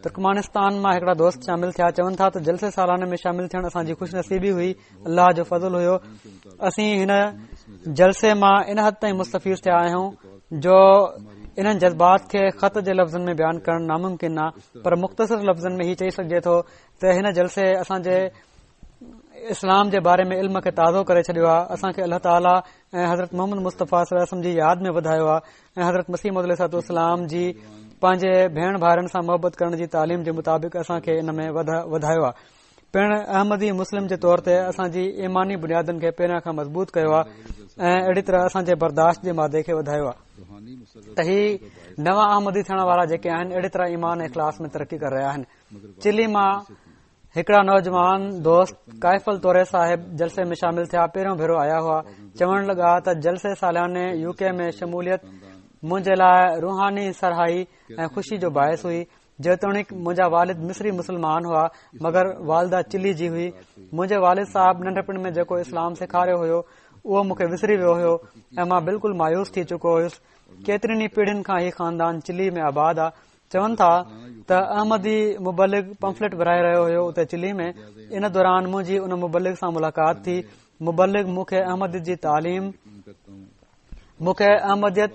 ترڪمانستان مان هڪڙا دوست شامل ٿيا، چون ٿا ته جلسي سالاني ۾ شامل ٿيڻ اسان جي خوش نصيبي هئي، الله جو فضل هيو. اسين هن جلسي مان ان حد تائين مستفيض ٿيا آهيون جو انهن جذبات کي خط جي لفظن ۾ بيان ڪرڻ ناممڪن آهي، پر مختصر لفظن ۾ هي چئي سگهجي ٿو ته هن جلسي اسان جي اسلام جي باري ۾ علم کي تازو ڪري ڇڏيو آهي. اسان کي الله تعاليٰ ۽ حضرت محمد مصطفيٰ صلي الله عليه وسلم جي ياد ۾ وڌايو آهي ۽ حضرت مسيح موعود عليه الصلوة والسلام جي پنهنجي ڀيڻ ڀائرن سان محبت ڪرڻ جي تعليم جي مطابق اسان کي ان ۾ وڌايو آهي. پڻ احمدي مسلم جي طور تي اسان جي ايماني بنيادن کي پهريان کان مضبوط ڪيو آهي ۽ اهڙي طرح اسان جي برداشت جي مادي کي وڌايو آهي ته هي نوان احمدي ٿيڻ وارا جيڪي آهن اهڙي طرح ايمان ۽ اخلاص ۾ ترقي ڪري رهيا آهن. چلي مان هڪڙا نوجوان دوست ڪائفل توري صاحب جلسي ۾ شامل ٿيا، پهريون ڀيرو آيا هئا. چوڻ لڳا ته جلسي سالياني يو ڪي ۾ شموليت منهنجي لاء روحاني سرهائي ۽ خوشي جو باعث هئي. جيتوڻيڪ منهنجا والد مصري مسلمان هئا مگر والده چلي جي هئي. منهنجي والد صاحب ننڍپڻ ۾ جيڪو اسلام سيکاريو هيو اهو مون کي وسري ويو هيو ۽ مان بلڪل مايوس ٿي چڪو هيس. ڪيترين ئي پيڙهين کان هي خاندان چلي ۾ آباد آ. چون ٿا ته احمدي مبلغ پمفلٽ ورهائي رهيو هيو اتي چلي ۾. ان دوران منهنجي ان مبلغ سان ملاقات ٿي. مبلغ مون کي احمديت جي تعليم مون کي احمديت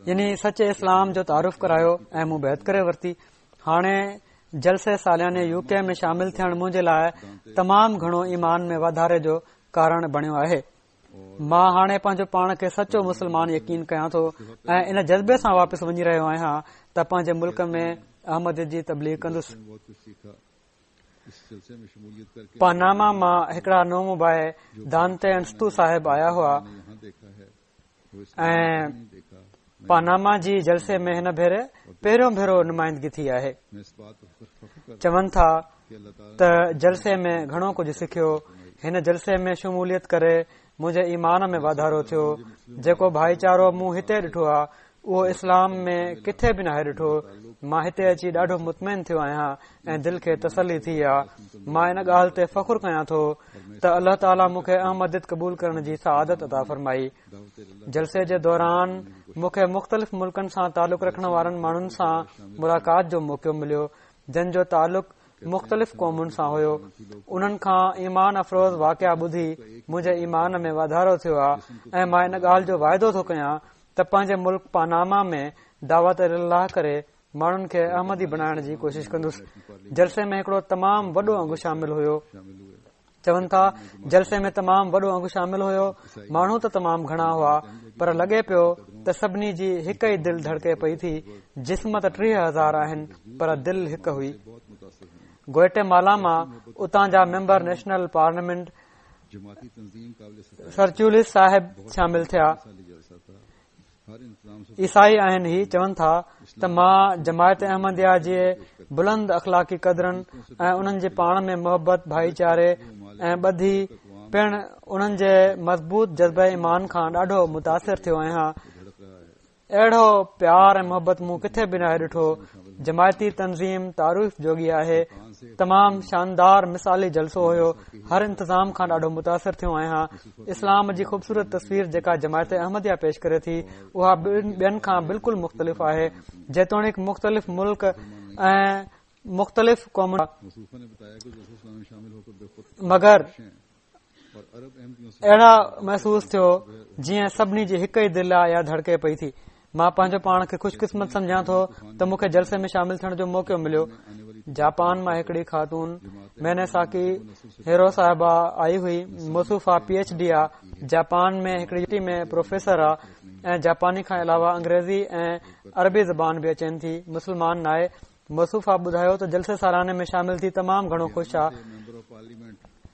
يعني سچي اسلام جو تعارف ڪرايو ۽ مون بيعت ڪري ورتي. هاڻي جلسي سالياني يو ڪي ۾ شامل ٿيڻ منهنجي لاء تمام گهڻو ايمان ۾ واڌاري جو ڪارڻ بڻيو آهي. مان هاڻي پنهنجو پاڻ کي سچو مسلمان يقين ڪيان ٿو ۽ ان جذبي سان واپس وڃي رهيو آهيان ته پنهنجي ملڪ ۾ احمديت جي تبليغ ڪندس. پاناما مان هڪڙا نومبائع دانتي انستو صاحب آيا هئا ۽ پاناما جي جلسي ۾ هن ڀيري پهريون ڀيرو نمائندگي ٿي آهي. چون ٿا ته جلسي ۾ گهڻو ڪجهه سکيو. هن جلسي ۾ شموليت ڪري منهنجي ايمان ۾ واڌارو ٿيو. جيڪو ڀائيچارو مون هتي ڏٺو آهي اهو اسلام ۾ ڪٿي به ناهي ڏٺو. مان هتي اچي ڏاڍو مطمئن ٿيو آهيان ۽ دل کي تسلي ٿي آهي. مان ان ڳالهه تي فخر ڪيان ٿو ته الله تعاليٰ مون کي احمديت قبول ڪرڻ جي سعادت عطا فرمائي. جلسي جي دوران مون کي مختلف ملڪن سان تعلق رکڻ وارن ماڻهن سان ملاقات جو موقعو مليو جن جو تعلق مختلف قومن سان هيو. انهن کان ايمان افروز واقعا ٻڌي منهنجي ايمان ۾ واڌارو ٿيو آهي ۽ مان ان ڳالهه جو واعدو ٿو ڪيان ته پنهنجي ملڪ پاناما ۾ دعوت الي الله ڪري ماڻهن کي احمدي بڻائڻ جي ڪوشش ڪندس. جلسي ۾ هڪڙو تمام وڏو انگ شامل هيو. چون ٿا جلسي ۾ تمام وڏو انگ شامل هيو. ماڻهو ته تمام گهڻا هئا پر لڳي پيو ته سڀني جي هڪ ئي دل ڌڙڪي پئي ٿي. جسم ته ٽيهه هزار آهن پر دل هڪ هئي. گوئٽي مالا مان اتان جا ميمبر نيشنل پارليامينٽ سرچولس صاحب شامل ٿيا. عيسائي آهن. هي چون ٿا ته مان جماعت احمديه جي بلند اخلاقي قدرن ۽ انهن جي پاڻ ۾ محبت، ڀائيچاري ۽ ٻڌي پڻ انهن جي مضبوط جذبه ايمان کان ڏاڍو متاثر ٿيو آهيان. اهڙو پيار ۽ محبت مون ڪٿي به ناهي ڏٺو. جماعتي تنظيم تعريف جوڳي آهي. تمام شاندار مثالي جلسو هيو. هر انتظام کان ڏاڍو متاثر ٿيو آهيان. اسلام جي خوبصورت تصوير جيڪا جماعت احمديه پيش ڪري ٿي اها ٻين کان بلڪل مختلف آهي. جيتوڻيڪ مختلف ملڪ ۽ مختلف قومن مگر اهڙا محسوس ٿيو جيئن سڀني جي هڪ ئي دل آ يا ڌڙڪي پئي ٿي. مان پنهنجو پاڻ کي خوش قسمت سمجهان ٿو ته مون کي جلسي ۾ شامل ٿيڻ جو موقعو مليو. جاپان مان هڪڙي خاتون ميني ساڪي هيرو صاحبه آئي هئي. موصوفه پي ايڇ ڊي آ، جاپان ۾ هڪڙي يونيورسٽي ۾ پروفيسر آ ۽ جاپاني کان علاوه انگريزي ۽ عربي زبان به اچين ٿي. مسلمان ناهي. موصوفه ٻڌايو ته جلسي سالاني ۾ شامل ٿي تمام گهڻو خوش آ.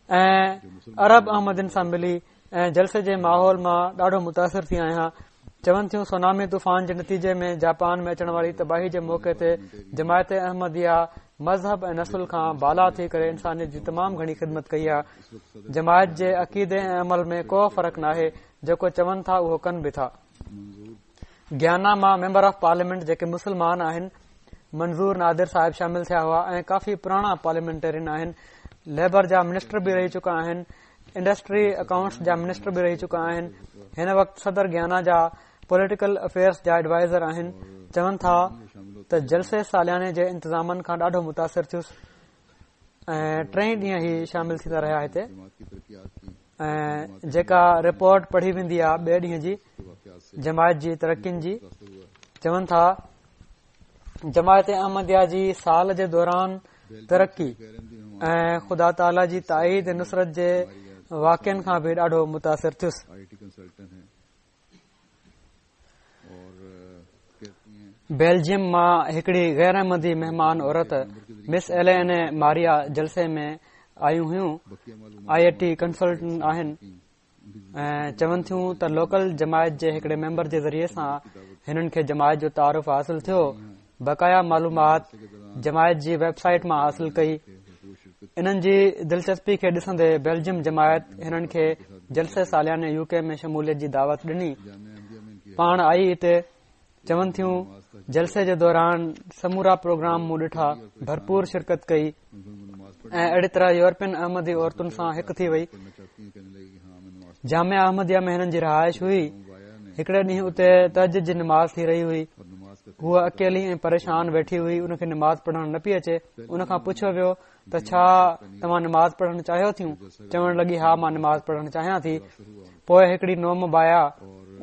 ۽ عرب احمدين سان ملي ۽ جلسي جي ماحول مان ڏاڍو متاثر ٿي آهيان. چون ٿيون سونامي طوفان جي نتيجي ۾ جاپان ۾ اچڻ واري تباهي جي موقعي تي جماعت احمديه مذهب ۽ نسل کان بالا ٿي ڪري انسانيت جي تمام گهڻي خدمت ڪئي آهي. جماعت جي عقيدي ۽ عمل ۾ ڪو فرق ناهي، جيڪو چون ٿا اهو ڪن به ٿا. گيانا مان ميمبر آف پارليامينٽ جيڪي مسلمان آهن منظور نادر صاحب شامل ٿيا هئا ۽ ڪافي پراڻا پارليامينٽيرين آهن. ليبر جا منسٽر به رهي چڪا آهن، انڊسٽري اڪائونٽس جا منسٽر به رهي چڪا آهن. هن وقت صدر گيانا جا پوليٽيڪل افيئرس جا ايڊوائزر آهن. چون ٿا ته جلسي سالياني جي انتظامن کان ڏاڍو متاثر ٿيس ۽ ٽئين ڏينهن هي شامل ٿيندا رهيا هتي ۽ جيڪا رپورٽ پڙهي ويندي آهي ٻئي ڏينهن جي جماعت جي ترقين جي، چون ٿا جماعت احمديه جي سال جي دوران ترقي ۽ خدا تعاليٰ جي تائيد نصرت جي واقعن کان به ڏاڍو متاثر ٿيس. بيلجيم مان هڪڙي غير احمدي مهمان عورت مس ايلين ماريا جلسي ۾ آيون هيون. آئي ٽي ڪنسلٽنٽ آهن ۽ چون ٿيون ته لوڪل جماعت جي هڪڙي ميمبر جي ذريعي سان هنن کي جماعت جو تعارف حاصل ٿيو. بقايا معلومات جماعت جي ويب سائيٽ مان حاصل ڪئي. انهن جي دلچسپي کي ڏسندي بيلجيم جماعت هنن کي جلسي سالياني يو ڪي ۾ شموليت جي دعوت ڏني. پاڻ آئي هتي. چون ٿيون جلسي جي دوران سمورا پروگرام مون ڏٺا، ڀرپور شرڪت ڪئي ۽ اهڙي طرح يورپين احمدي عورتن سان هڪ ٿي وئي. جامعه احمديه ۾ هنن جي رهائش هئي. هڪڙي ڏينهن اتي تهجد جي نماز ٿي رهي هئي. هوء اڪيلي ۽ پريشان ويٺي هئي. ان کي نماز پڙهڻ نه پئي اچي. ان کان پڇيو ويو ته ڇا توهان نماز پڙهڻ چاهيو ٿيون؟ چوڻ لڳي ها مان نماز پڙهڻ چاهيان ٿي. پوءِ هڪڙي نومبائعه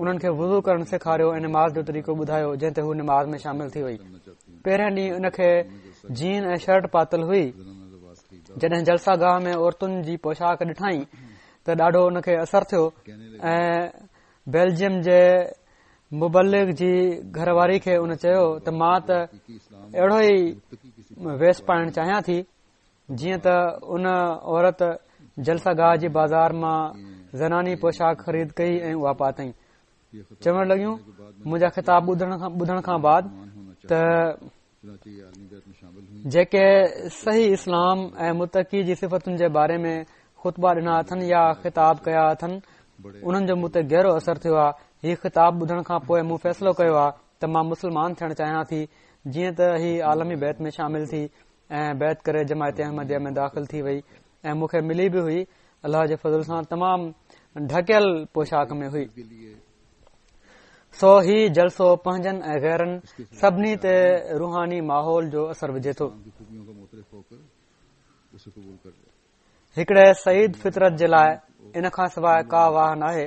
انهن کي وضو ڪرڻ سيکاريو ۽ نماز جو طريقو ٻڌايو، جنهن تي هو نماز ۾ شامل ٿي وئي. پهرين ڏينهن ان کي جين ۽ شرٽ پاتل هئي. جڏهن جلسه گاهه ۾ عورتن جي پوشاڪ ڏٺائين ته ڏاڍو ان کي اثر ٿيو ۽ بيلجيم جي مبلغ جي گهر واري کي ان چيو ته مان ته اهڙو ئي ويس پائڻ چاهيان ٿي. جيئن ته ان عورت جلسه گاهه جي بازار مان زناني پوشاڪ خريد ڪئي ۽ اها پاتائين. چوڻ لڳيون منهنجا خطاب ٻڌڻ کان بعد ته جيڪي صحيح اسلام ۽ متقي جي صفتن جي باري ۾ خطبا ڏنا اٿن يا خطاب ڪيا اٿن انهن جو مون تي گهرو اثر ٿيو آهي. هي خطاب ٻڌڻ کان پوءِ مون فيصلو ڪيو آهي ته مان مسلمان ٿيڻ چاهيان ٿي. جيئن ته هي عالمي بيعت ۾ شامل ٿي ۽ بيعت ڪري جماعت احمديه ۾ داخل ٿي وئي ۽ مون کي ملي به هئي. الله جي فضل سان تمام ڍڪيل پوشاڪ ۾ هئي. سو هي جلسو پنهنجن ۽ غيرن سڀني تي روحاني ماحول جو اثر وجهي ٿو. هڪڙي سعيد فطرت جي لاءِ ان کان سواءِ ڪا واهه ناهي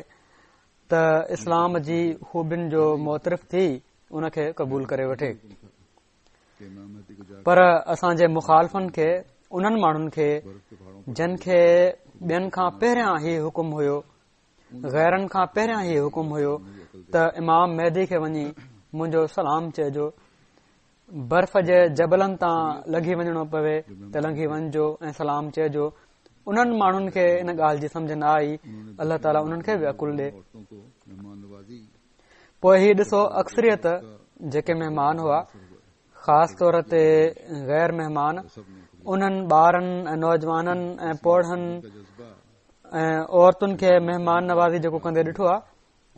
ته اسلام جي خوبين جو معترف ٿي ان کي قبول ڪري وٺي. پر اسان جي مخالفن کي، انهن ماڻهن کي جن کي ٻين کان پهريان هي حڪم هيو، غيرن کان پهريان هي حڪم هيو ته امام مهدي کي وڃي منهنجو سلام چئجو، برف جي جبلن تان لنگهي وڃڻو پوي ته لنگهي وڃجو ۽ سلام چئجو. انهن ماڻهن کي ان ڳالهه جي سمجهه نه آئي. الله تعاليٰ انهن کي به عقل ڏي. پوءِ هي ڏسو اڪثريت جيڪي مهمان هئا، خاص طور تي غير مهمان، انهن ٻارن ۽ نوجوانن ۽ پوڙهن ۽ عورتن کي مهمان نوازي جيڪو ڪندي ڏٺو آهي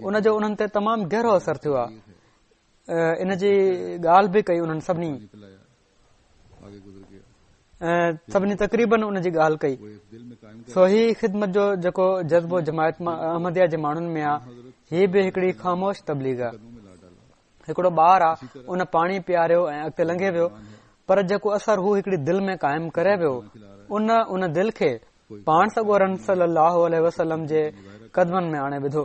ان جو انهن تي تمام گهرو اثر ٿيو آهي. ان جي ڳالهه به ڪئي انهن سڀني ۽ سڀني تقريبن ان جي ڳالهه ڪئي. سو هي خدمت جو جيڪو جذبو جماعت احمديه جي ماڻهن ۾ آهي، هي به هڪڙي خاموش تبليغ آهي. هڪڙو ٻار آهي، ان پاڻي پياريو ۽ اڳتي لنگهي ويو، پر جيڪو اثر هو هڪڙي دل ۾ قائم ڪري ويو، ان ان دل کي پاڻ سڳورن صلي الله عليه وسلم جي قدمن ۾ آڻي وڌو.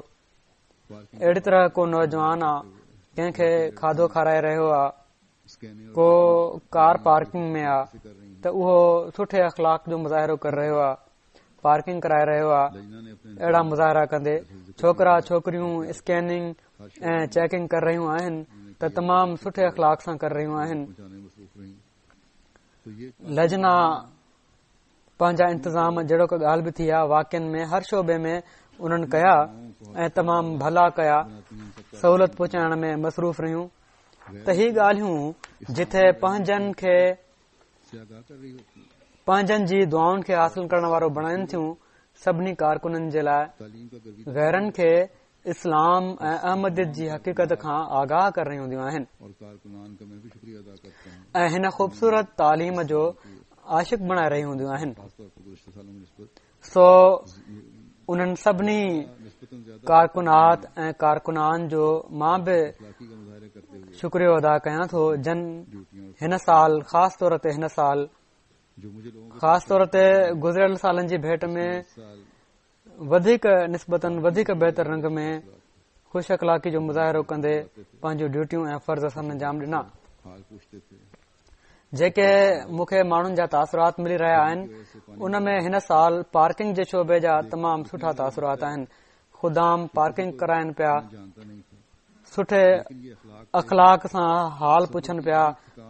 اهڙي طرح ڪو نوجوان آ، ڪنهن کي کاڌو کارائي رهيو آ، ڪو ڪار پارڪنگ ۾ آ ته اهو سٺي اخلاق جو مظاهرو ڪري رهيو آ، پارڪنگ ڪرائي رهيو آ. اهڙا مظاهرا ڪندي ڇوڪرا ڇوڪريون اسڪيننگ ۽ چيڪنگ ڪري رهيون آهن ته تمام سٺي اخلاق سان ڪري رهيون آهن. لجنا پنهنجا انتظام جهڙوڪ ڳالهه به ٿي آهي واقعن ۾ هر شعبي ۾ انهن ڪيا ۽ تمام ڀلا ڪيا، سهولت پهچائڻ ۾ مصروف رهيون. ته هي ڳالهيون جٿي پنهنجن کي پنهنجن جي دعائن کي حاصل ڪرڻ وارو بڻائن ٿيون، سڀني ڪارڪنن جي لاءِ غيرن کي اسلام ۽ احمديت جي حقيقت کان آگاهه ڪري رهيون هونديون آهن ۽ هن خوبصورت تعليم جو عاشق بڻائي رهيون هونديون آهن. سو انهن سڀني ڪارڪنات ۽ ڪارڪنان جو مان به شڪريو ادا ڪيان ٿو جن هن سال خاص طور تي هن سال خاص طور تي گذريل سالن جي ڀيٽ ۾ وڌيڪ نسبتاً وڌيڪ بهتر رنگ ۾ خوش اخلاقي جو مظاهرو ڪندي پنهنجون ڊيوٽيون ۽ فرض سر انجام ڏنا. جيڪي مون کي ماڻهن جا تاثرات ملي رهيا آهن ان ۾ هن سال پارڪنگ جي شعبي جا تمام سٺا تاثرات آهن. خدام پارڪنگ ڪرائن پيا، سٺي اخلاق سان حال پڇن پيا،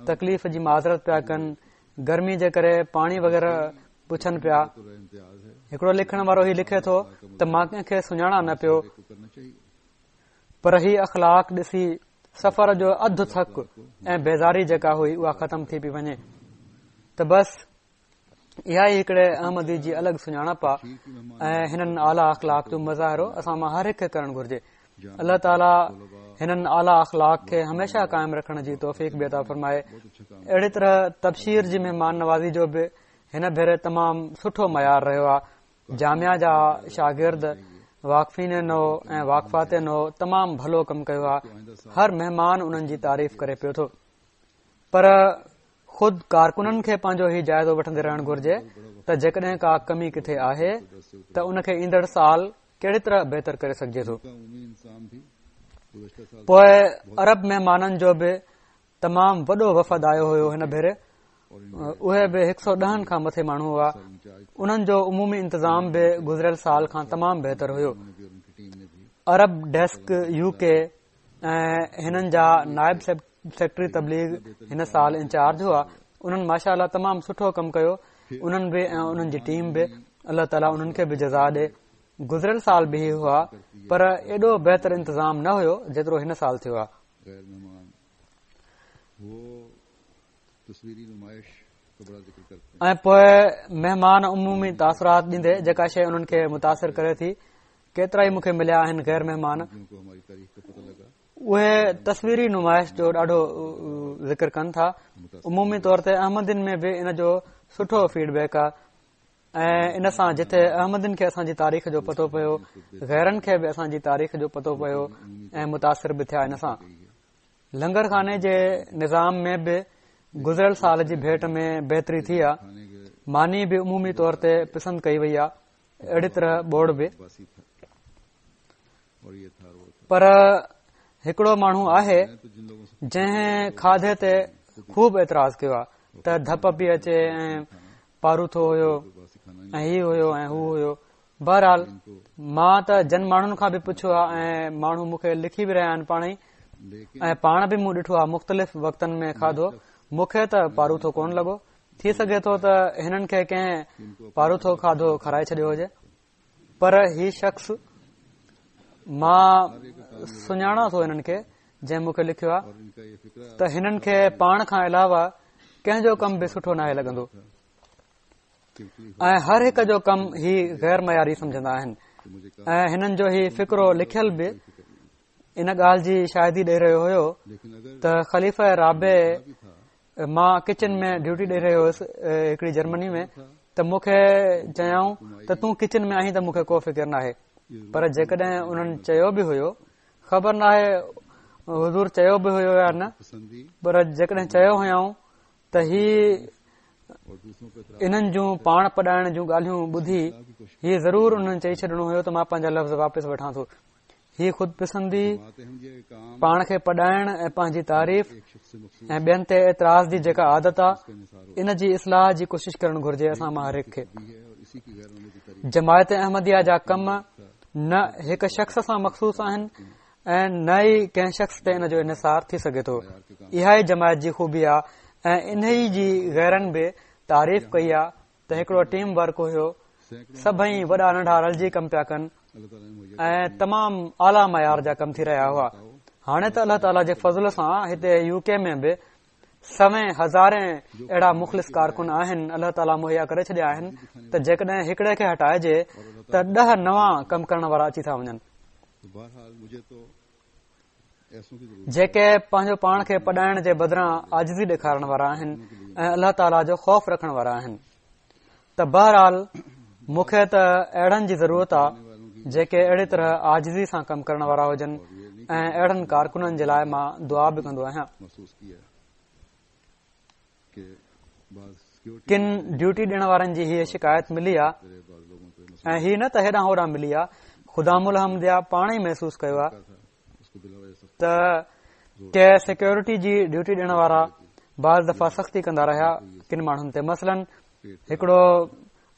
تڪليف جي معذرت پيا ڪن، گرمي جي ڪري پاڻي وغيره پڇن پيا. هڪڙو لکڻ وارو هي لکي ٿو ته مان ڪنهن کي سڃاڻان نه پيو، پر هي اخلاق ڏسي سفر جو اڌ ٿڪ ۽ بيزاري جيڪا هئي اها ختم ٿي پئي وڃي. ته بس اها ئي هڪڙي احمدي جي الڳ سڃاڻپ آهي ۽ هنن اعليٰ اخلاق جو مظاهرو اسان مان هر هڪ کي ڪرڻ گهرجي. الله تعاليٰ هنن اعليٰ اخلاق کي هميشه قائم رکڻ جي توفيق به عطا فرمائي. اهڙي طرح تبشير جي مهمان نوازي جو به هن ڀيري تمام سٺو معيار رهيو آهي. جامعه جا شاگرد واقفين نو ۽ واقفات نو تمام ڀلو ڪم ڪيو آهي. هر مهمان انهن جي تعريف ڪري پيو ٿو، پر خود ڪارڪنن کي پنهنجو هي جائزو وٺندي رهڻ گهرجي ته جيڪڏهن ڪا ڪمي ڪٿي آهي ته ان کي ايندڙ سال ڪهڙي طرح بهتر ڪري سگهجي ٿو. پوءِ عرب مهمانن جو به تمام وڏو وفد آيو هيو هن ڀيري، اهي به هڪ سؤ ڏهن کان مٿي ماڻهو هئا. انهن جو عمومي انتظام به گذريل سال کان تمام بهتر هيو. عرب ڊيسڪ يو ڪي ۽ هنن جا نائب سيڪريٽري تبليغ هن سال انچارج هئا. انهن ماشاء الله تمام سٺو ڪم ڪيو، انهن به ۽ انهن جي ٽيم به. الله تعاليٰ انهن کي به جزا ڏي. گذريل سال به هئا پر ايڏو بهتر انتظام نه هيو جيترو هن سال ٿيو آهي. ۽ پوءِ مهمان عمومي تاثرات ڏيندي جيڪا شيءِ انهن کي متاثر ڪري ٿي، ڪيترا ئي مون کي مليا آهن غير مهمان، اهي تصويري نمائش جو ڏاڍو ذڪر ڪن ٿا. عمومي طور تي احمدين ۾ به ان جو سٺو فيڊ بيڪ آهي ۽ ان سان جتي احمدين کي اسان جي تاريخ جو پتو پيو، غيرن کي به اسان جي تاريخ جو پتو پيو ۽ متاثر به ٿيا ان سان. لنگر خاني جي نظام ۾ به گذريل سال جي ڀيٽ ۾ بهتري ٿي آهي. ماني به عمومي طور تي پسند ڪئي وئي آهي، اهڙي طرح ٻوڙ به. پر هڪڙو ماڻهو آهي جنهن کاڌي تي خوب اعتراض ڪيو آهي ته ڌپ پئي اچي ۽ پاروٿو هيو ۽ هي هيو ۽ هو هيو. بهرحال مان ته جن ماڻهن کان به پڇيو آهي ۽ ماڻهو مون کي لکي به رهيا آهن پاڻ ئي، ۽ پاڻ به مون ڏٺو آهي مختلف وقتن ۾ کاڌو، مون کي ته پاروٿو ڪونه لڳو. ٿي سگهي ٿو ته هنن کي ڪنهن پاروٿو کاڌو کارائي ڇڏيو هجي، پر هي شخص مان سڃاڻان ٿو هنن کي جنهن مون کي لکيو آهي ته هنن کي پاڻ کان علاوه ڪنهن جو ڪم به سٺو ناهي لڳندو ۽ هر هڪ جو ڪم هي غير معياري سمجهندا آهن. ۽ هنن جو هي فقرو لکيل به ان ڳالهه جي شاهدي ڏئي رهيو هيو ته خليفه رابع، مان ڪچن ۾ ڊيوٽي ڏئي رهيو هيس هڪڙي جرمني ۾ ته مون کي چيائون ته تون ڪچن ۾ آهين ته مون کي ڪو فڪر ناهي، پر جيڪڏهن انهن چيو به هيو، خبر ناهي حضور چيو به هيو يا نه، پر جيڪڏهن چيو هيائون ته هي انهن جون پاڻ پڏائڻ جون ڳالهيون ٻڌي هي ضرور انهن چئي ڇڏڻو هيو ته مان پنهنجا لفظ واپس وٺان ٿو. هي خود پسندي، پاڻ کي پڏائڻ ۽ پنهنجي تعريف ۽ ٻين تي اعتراض جي جيڪا عادت آ، ان جي اصلاح جي ڪوشش ڪرڻ گهرجي اسان مان هر هڪ کي. جماعت احمديه جا ڪم نه هڪ شخص سان مخصوص آهن ۽ نه ئي ڪنهن شخص تي ان جو انحصار ٿي سگهي ٿو. اها ئي جماعت جي خوبي آ ۽ انهي جي غيرن به تعريف ڪئي آ ته هڪڙو ٽيم ورڪ هيو، سڀئي وڏا ننڍا رلجي ڪم پيا ڪن ۽ تمام اعليٰ معيار جا ڪم ٿي رهيا هئا. هاڻي ته الله تعاليٰ جي فضل سان هتي يو ڪي ۾ به سوين هزارين اهڙا مخلص ڪارڪن آهن، الله تعاليٰ مهيا ڪري ڇڏيا آهن ته جيڪڏهن هڪڙي کي هٽائجي ته ڏهه نوان ڪم ڪرڻ وارا اچي ٿا وڃن، جيڪي پنهنجو پاڻ کي پڏائڻ جي بدران عاجزي ڏيکارڻ وارا آهن ۽ الله تعاليٰ جو خوف رکڻ وارا آهن. ته بهرحال مون کي ته اهڙن جي ضرورت آهي جيڪي اهڙي طرح عاجزي سان ڪم ڪرڻ وارا هجن ۽ اهڙن ڪارڪنن جي لاءِ مان دعا به ڪندو آهيان. ڪن ڊيوٽي ڏيڻ وارن جي هيءَ شڪايت ملي آهي ۽ هي نه ته هيڏانهن هوڏانهن ملي آهي، خدام الاحمديه پاڻ ئي محسوس ڪيو آهي ته ڪي سيڪيورٽي جي ڊيوٽي ڏيڻ وارا بعض دفعا سختي ڪندا رهيا ڪن ماڻهن تي. مثلاً هڪڙو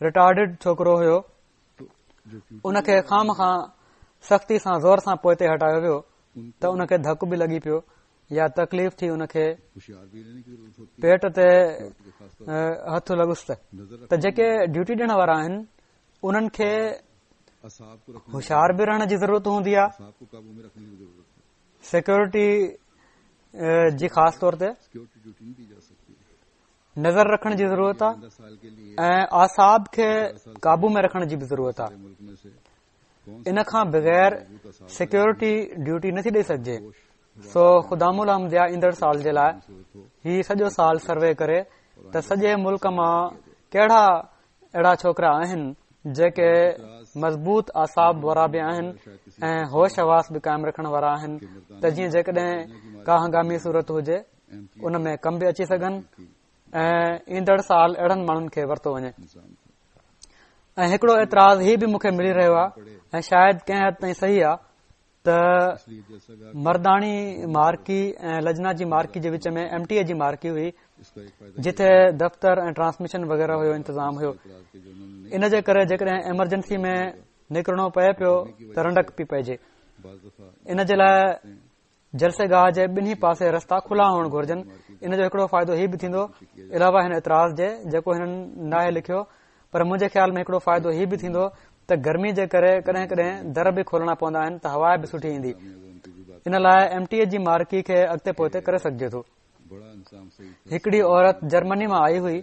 رٽارڊڊ ڇوڪرو هيو، ان کي خام خان سختي سان زور سان پوئتي هٽايو ويو ته ان کي ڌڪ به لڳي پيو يا تڪليف ٿي، ان کي پيٽ تي هٿ لڳس. ته جيڪي ڊيوٽي ڏيڻ وارا آهن انهن کي هوشيار به رهڻ جي ضرورت هوندي آهي، سيڪيورٽي جي خاص طور تي نظر رکڻ جي ضرورت آهي ۽ اعصاب کي قابو ۾ رکڻ جي به ضرورت آهي. ان کان بغير سيڪيورٽي ڊيوٽي نٿي ڏئي سگهجي. سو خدام الاحمديه ايندڙ سال جي لاءِ هي سڄو سال سروي ڪري ته سڄي ملڪ مان ڪهڙا اهڙا ڇوڪرا آهن جيڪي مضبوط اعصاب وارا به آهن ۽ هوش حواس به قائم رکڻ وارا آهن، ته جيئن جيڪڏهن ڪا هنگامي صورت هجي ان ۾ ڪم به اچي سگهن ۽ ايندڙ سال اهڙن ماڻهن کي ورتو وڃي. ۽ هڪڙو اعتراض هي به مون کي ملي رهيو آهي ۽ شايد ڪنهن حد تائين صحيح آهي ته مرداڻي مارڪي ۽ لجنا جي مارڪي جي وچ ۾ ايم ٽي اي جي مارڪي هئي، جتي دفتر ۽ ٽرانسميشن وغيره هيو انتظام هيو. ان جي ڪري جيڪڏهن ايمرجنسي ۾ نڪرڻو پئي پيو ته رنڊڪ پي پئجي. ان جي لاءِ جلسي گاهه جي ٻنهي پاسي رستا کلا هئڻ گهرجن. ان جو هڪڙو فائدو هي به ٿيندو، علاوه هن اعتراض جي جيڪو هنن ناهي لکيو، پر منهنجي خيال ۾ هڪڙو فائدو هي به ٿيندو ته گرمي جي ڪري ڪڏهن ڪڏهن در به کولڻا پوندا آهن ته هوا به سٺي ايندي. ان لاءِ ايم ٽي اي جي مارڪي کي اڳتي پوئتي ڪري سگهجي ٿو. هڪڙي عورت جرمني مان آئي هئي،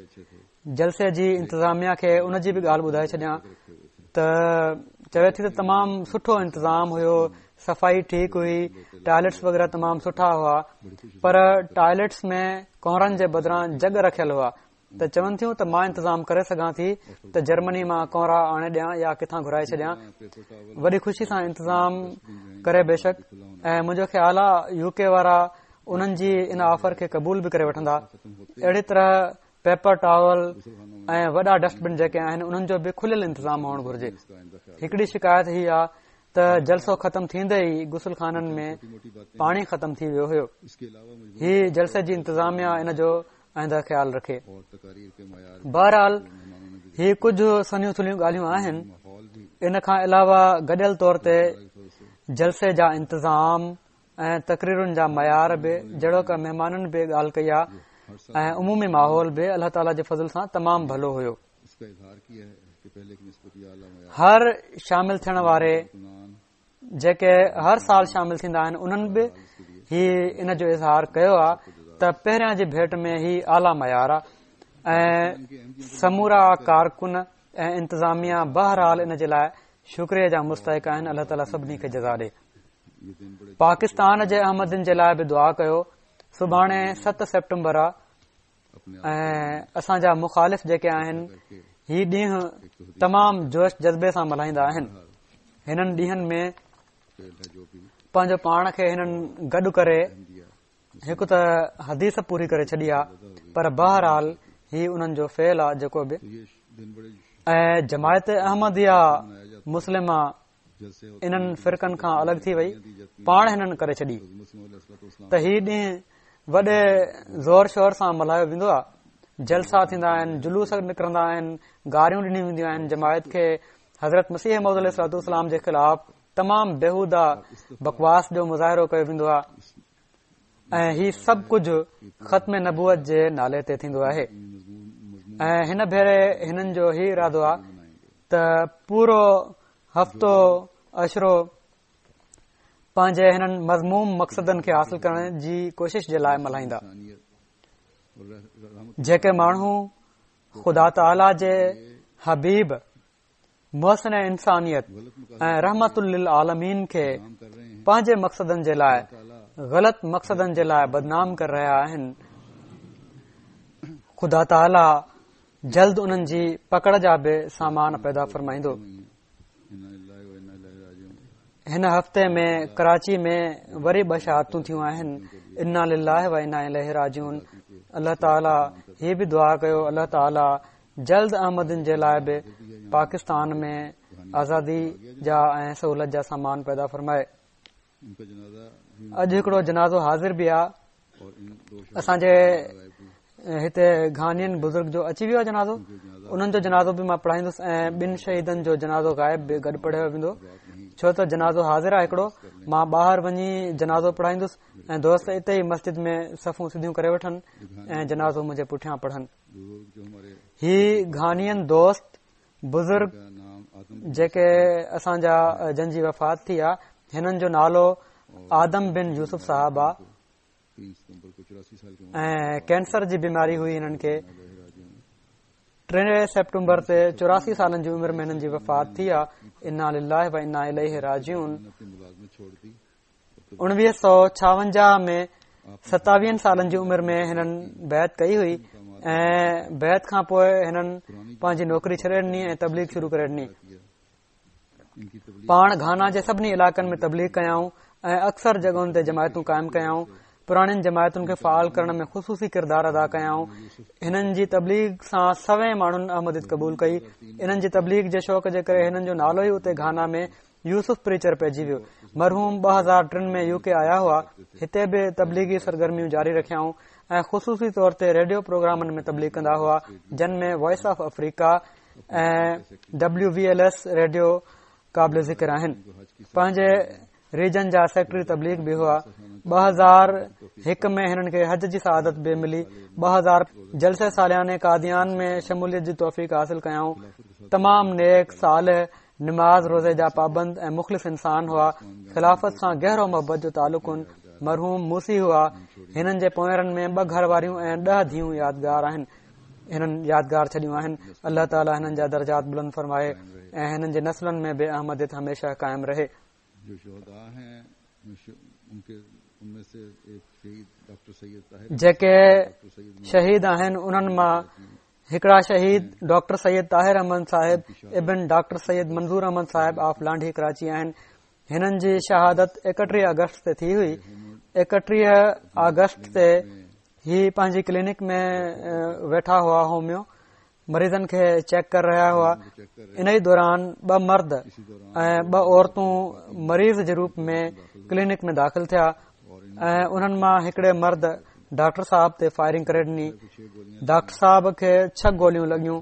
جلسي جي انتظاميا کي ان جي به ڳالهه ٻڌائي ڇڏيان ته چوي ٿي ته تمام سٺو انتظام هيو، صفائي ٺيڪ هئي، ٽوائليٽس وغيره تمام سٺا هئا، پر ٽوائليٽس ۾ ڪونرن جي بدران جڳ رکيل هئا. ته چون ٿيون ته مان انتظام ڪري سگهان ٿي ته جرمني مان ڪونرا آڻي ڏيان يا ڪٿان گهرائي ڇڏيان. وڏي خوشي سان انتظام ڪري بيشڪ، ۽ منهنجو خيال آهي يو ڪي وارا انهن جي ان آفر کي قبول به ڪري وٺندا. اهڙي طرح پيپر ٽاول ۽ وڏا ڊسٽ بن جيڪي آهن انهن جو به کليل انتظام هئڻ گهرجي. هڪڙي شڪايت هي آهي ته جلسو ختم ٿيندي ئي غسل خانن ۾ پاڻي ختم ٿي ويو هيو. هي جلسي جي انتظاميا ان جو آئنده خيال رکي. بهرحال هي ڪجهه سنهيون ٿلهيون ڳالهيون آهن. ان کان علاوه گڏيل طور تي جلسي جا انتظام ۽ تقريرن جا معيار به جهڙوڪ مهمانن به ڳالهه ڪئي آهي ۽ عمومي ماحول به الله تعاليٰ جي فضل سان تمام ڀلو هيو. هر شامل ٿيڻ واري جيڪي هر سال شامل ٿيندا آهن انهن به هي ان جو اظهار ڪيو آهي ته پهريان جي ڀيٽ ۾ هي اعليٰ معيار آهي ۽ سمورا ڪارڪن ۽ انتظاميا بهرحال ان جي لاءِ شڪريه جا مستحق آهن. الله تعاليٰ سڀني کي جزا ڏي. پاڪستان جي احمدين جي لاءِ به دعا ڪيو. سڀاڻي ست سيپٽمبر آهي ۽ اسان جا مخالف جيڪي آهن هي ڏينهن تمام جوش جذبي سان ملهائيندا آهن. هنن ڏينهن ۾ پنهنجو پاڻ کي هنن گڏ ڪري هڪ ته حديث پوري ڪري ڇڏي آهي، پر بهرحال هي انهن جو فعل آهي جيڪو به. ۽ جماعت احمديه مسلمه انهن فرقن کان الڳ ٿي وئي، پاڻ هنن ڪري ڇڏي ته هي ڏينهن وڏي زور شور سان ملهايو ويندو آهي. جلسا ٿيندا آهن، جلوس نڪرندا آهن، گاريون ڏنيون وينديون آهن. جماعت کي حضرت مسيح موعود عليه الصلوة والسلام جي خلاف تمام بيهوده بڪواس جو مظاهرو ڪيو ويندو آهي ۽ هي سڀ ڪجهه ختم نبوت جي نالي تي ٿيندو آهي. ۽ هن ڀيري هنن جو هي ارادو آهي ته پورو هفتو عشرو پنهنجي هنن مذموم مقصدن کي حاصل ڪرڻ جي ڪوشش جي لاءِ ملهائيندا. جيڪي ماڻهو خدا تعاليٰ جي حبيب محسن انسانيت ۽ رحمت للعالمين کي پنهنجي مقصدن جي لاءِ غلط مقصدن جي لاءِ بدنام ڪري رهيا آهن، خدا تعاليٰ جلد انهن جي پڪڙ جا به سامان پيدا فرمائيندو. هن هفتي ۾ ڪراچي ۾ وري ٻه شهادتون ٿيون آهن. انا لله و انا اليه راجعون. الله تعاليٰ هي به دعا ڪيو الله تعاليٰ جلد احمدين جي لاءِ به پاڪستان ۾ آزادي جا ۽ سهولت جا سامان پيدا فرمائي. اڄ هڪڙو جنازو حاضر به آهي. اسان جي هتي گهانين بزرگ جو اچي ويو آهي جنازو، انهن جو جنازو به مان پڙهائيندس ۽ ٻن شهيدن جو جنازو غائب به گڏ پڙهيو ويندو، ڇو ته جنازو حاضر آهي هڪڙو. مان ٻاهر وڃي جنازو پڙهائيندس ۽ دوست اتي ئي مسجد ۾ صفون سڌيون ڪري وٺن ۽ جنازو منهنجي پٺيان پڙهن. هي گهانين دوست بزرگ جيڪي اسان جا جن جي وفات ٿي آهي، هنن جو نالو آدم بن يوسف صاحب آهي ۽ ڪينسر جي بيماري هئي هنن کي. ٽي سيپٽمبر تي چوراسي سالن جي عمر ۾ هنن جي وفات ٿي آهي. انا لله و انا اليه راجعون. اڻويهه سؤ ڇاونجاهه ۾ ستاويهن سالن جي عمر ۾ هنن بيعت ڪئي هئي ۽ بيعت کان پوءِ هنن پنهنجي نوڪري ڇڏي ڏني ۽ تبليغ شروع ڪري ڏني. پاڻ گهانا جي سڀني علائقن ۾ تبليغ ڪيائون ۽ اڪثر جڳهن تي جماعتون قائم ڪيائون. پراڻين جماعتن کي فعال ڪرڻ ۾ خصوصي ڪردار ادا ڪيائون. هنن جي تبليغ سان سوين ماڻهن احمديت قبول ڪئي. انهن جي تبليغ جي شوق جي ڪري هنن جو نالو ئي اتي گهانا ۾ يوسف پريچر پئجي ويو. مرحوم ٻه هزار ٽن ۾ يو ڪي آيا هئا. هتي به تبليغي سرگرميون جاري رکيائون ۽ خصوصي طور تي ريڊيو پروگرامن ۾ تبليغ ڪندا هئا، جن ۾ voice of Africa ۽ W V L S radio قابل ذڪر آهن. پنهنجي ريجن جا سيڪريٽري تبليغ به هئا. ٻه هزار هڪ ۾ هنن کي حج جي سعادت به ملي. ٻه هزار جلسي سالياني قاديان ۾ شموليت جي توفيق حاصل ڪيائون. تمام نيڪ، صالح، نماز روزي جا پابند ۽ مخلص انسان هئا. خلافت سان گهرو محبت جو تعلق هن. مرحوم موسي هئا. هنن جي پوئرن ۾ ٻه گهر واريون ۽ ڏهه ڌيئون يادگار آهن، هنن يادگار ڇڏيون آهن. الله تعاليٰ هنن جا درجات بلند فرمائي ۽ هنن جي نسلن ۾ به احمديت هميشه قائم رهي. جيڪي شهيد آهن انهن مان هڪڙا شهيد ڊاڪٽر سيد طاهر احمد صاحب ابن ڊاڪٽر سيد منظور احمد صاحب آف لانڍي ڪراچي آهن. هنن جي شهادت ايڪٽيهه آگسٽ تي ٿي هئي. ايڪٽيهه آگسٽ تي هي پنهنجي ڪلينڪ ۾ ويٺا هئا، هوميو مريضن کي چيڪ ڪري رهيا هئا. ان ئي دوران ٻه مرد ۽ ٻه عورتون مريض جي روپ ۾ ڪلينڪ ۾ داخل ٿيا ۽ انهن مان هڪڙي مرد ڊاڪٽر صاحب تي فائرنگ ڪري ڏني. ڊاڪٽر صاحب کي ڇهه گوليون لڳيون.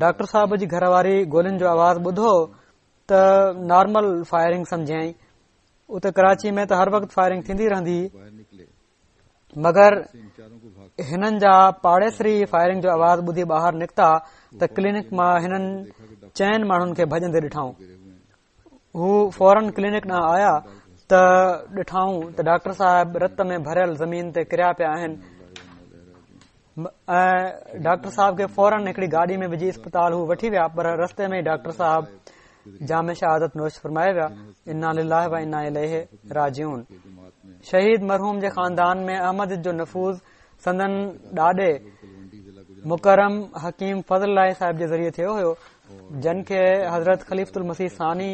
ڊاڪٽر صاحب جي گهر واري گولين جو آواز ٻڌو ته نارمل فائرنگ سمجهيائين. اتي ڪراچي ۾ ته هر وقت فائرنگ ٿيندي رهندي، مگر هنن جا پاڙيسري فائرنگ جو آواز ٻڌي ٻاهر نڪتا ته ڪلينڪ مان هنن چئن ماڻهن کي ڀڄندي ڏٺائون. هو فورن ڪلينڪ ڏانهن آيا ته ڏٺائون ته ڊاڪٽر صاحب رت ۾ ڀريل زمين تي ڪريا پيا آهن ۽ ڊاڪٽر صاحب کي فورن هڪڙي گاڏي ۾ وجهي اسپتال هو وٺي ويا، پر رستي ۾ ئي ڊاڪٽر صاحب جام شهادت نوش فرمائي ويا. انا لله و انا اليه راجعون. شهيد مرحوم جي خاندان ۾ احمديت جو نفوذ سندن ڏاڏي مڪرم حڪيم فضل الله صاحب جي ذريعي ٿيو هيو، جن کي حضرت خليفة المسيح ثاني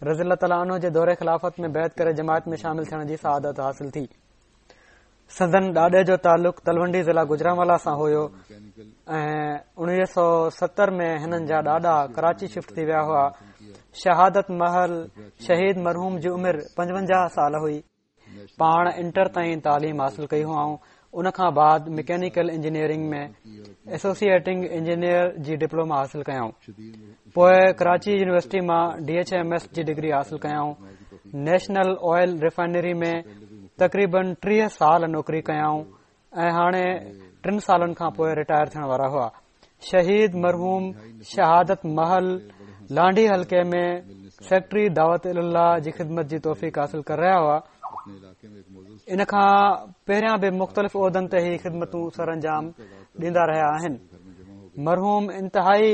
رضي الله تعالٰي عنه جي دور خلافت ۾ بيعت ڪري جماعت ۾ شامل ٿيڻ جي سعادت حاصل ٿي. سندن ڏاڏي جو تعلق تلونڊي ضلع گجرانوالا سان هيو ۽ اڻويهه سؤ ستر ۾ هنن جا ڏاڏا ڪراچي شفٽ ٿي ويا هئا. شهادت مهل شهيد مرحوم جي عمر پنجونجاهه سال هئي. پاڻ انٽر تائين تعليم حاصل ڪئي هئائون. ان کان بعد مڪينيڪل انجنيئرنگ ۾ ايسوسيئيٽنگ انجنيئر جي ڊپلوما حاصل ڪيائون. پوءِ ڪراچي يونيورسٽي مان ڊي ايڇ ايم ايس جي ڊگري حاصل ڪيائون. نيشنل آئل ريفائنري ۾ تقريبن ٽيهه سال نوڪري ڪيائون ۽ هاڻي ٽن سالن کان پوءِ رٽائر ٿيڻ وارا هئا. शहीद मरहूम शहादत महल लांढी हल्के में सेक्रेटरी दावत इल्लाह जी ख़िदमत जी तौफ़ीक़ हासिल करे रहिया हुआ। इन खां पहिरियां बि मुख़्तलिफ़ उहदनि ते ही ख़िदमतूं सर अंजाम ॾींदा रहिया आहिनि। मरहूम इंतिहाई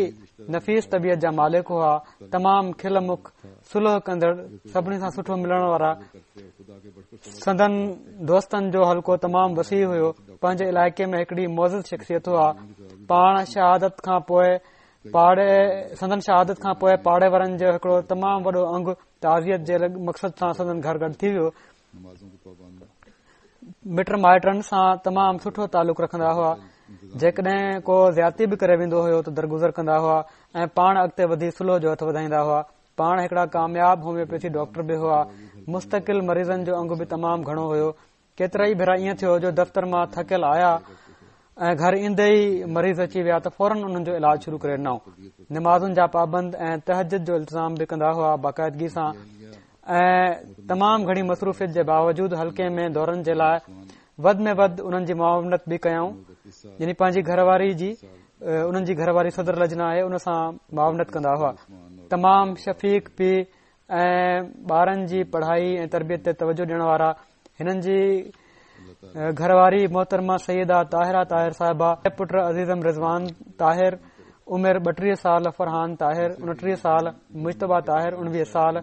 नफ़ीस तबीयत जा मालिक हुआ, तमाम खिल मुख, सुलह कंदड़, सभिनी सां सुठो मिलण वारा। संदन दोस्तनि जो हल्को तमाम वसी हुयो। पंहिंजे इलाइक़े में हिकिड़ी मौज़द शख़्सियत हुआ। पाण शहादत खां पोइ पाड़े संदन शहादत खां पोइ पाड़े वारनि जो हिकिड़ो तमाम वॾो अंग ताज़ियत जे मक़सद सां संदन घर गॾु थी वियो। मिट माइटनि सां तमाम सुठो तालुक रखंदा हुआ। जेकॾहिं को ज़्यादती बि करे वेंदो हुयो त दरगुज़र कंदा हुआ ऐं पाण अॻिते वधी सुलह जो हथु वधाईंदा हुआ। पाण हिकिड़ा कामयाब होम्योपैथी डॉक्टर बि हुआ। मुस्तकिल मरीज़नि जो अंग बि तमाम घणो हुयो। केतिरा ई भेरा ईअं थियो जो दफ़्तर मां थकियल आया ऐं घर ईंदे ई मरीज़ अची विया त फ़ौरन उन्हनि जो इलाज शुरू करे ॾिनऊं। नमाज़ुनि जा पाबंद ऐं तहज्जुद जो इल्तिज़ाम बि कंदा हुआ बाक़ाइदगी सां ऐं तमाम घणी मसरूफ़ियत जे बावजूद हल्के में दौरनि जे लाइ वधि में वधि उन्हनि जी मुआवनत बि कयऊं। यानी पंहिंजी घरवारी जी उन्हनि जी घरवारी सदर लजना आहे उन सां मुआवनत कंदा हुआ। तमाम शफ़ीक पीउ ऐं ॿारनि जी पढ़ाई ऐं तरबियत ते तवजो ॾियण वारा। हिननि जी घरवारी मोहतरमा सैयदा ताहिरा ताहिर साहिबा, पुट अज़ीज़म रिज़वान ताहिर उमिरि ॿटीह साल, फरहान ताहिर उणटीह साल, मुज्तबा ताहिर उणिवीह साल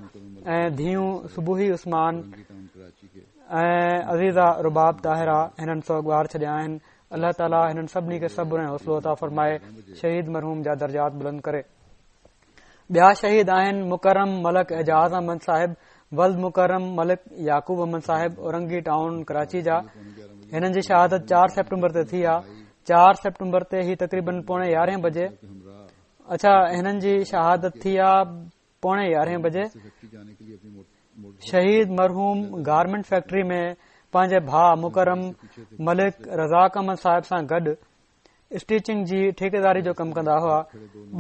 ऐं धीऊं सुबुही उस्मान ऐं अज़ीज़ा रुबाब ताहिरा हिननि सोगवार छॾिया आहिनि। अल्लाह ताला हिननि सभिनी खे सब्र ऐं हौसलो अता फरमाए, शहीद मरहूम जा दर्जात बुलंद करे। ॿिया शहीद आहिनि मुकरम मलक एजाज़ अहमद साहिब वल्द मुकरम मलिक याकूब अहमद साहिब औरंगी टाउन कराची जा। हिननि जी शहादत चार सेप्टेम्बर ते थी आहे। चार सेप्टेम्बर ते ही तक़रीबन पौणे यारहें बजे, अच्छा हिननि जी शहादत थी आहे पौणे यारहें बजे। शहीद मरहूम गारमेंट फैक्ट्री में पंहिंजे भाउ मुकरम मलिक रज़ाक अहमद साहिब सां गॾु स्टिचिंग जी ठेकेदारी जो कमु कंदा हुआ।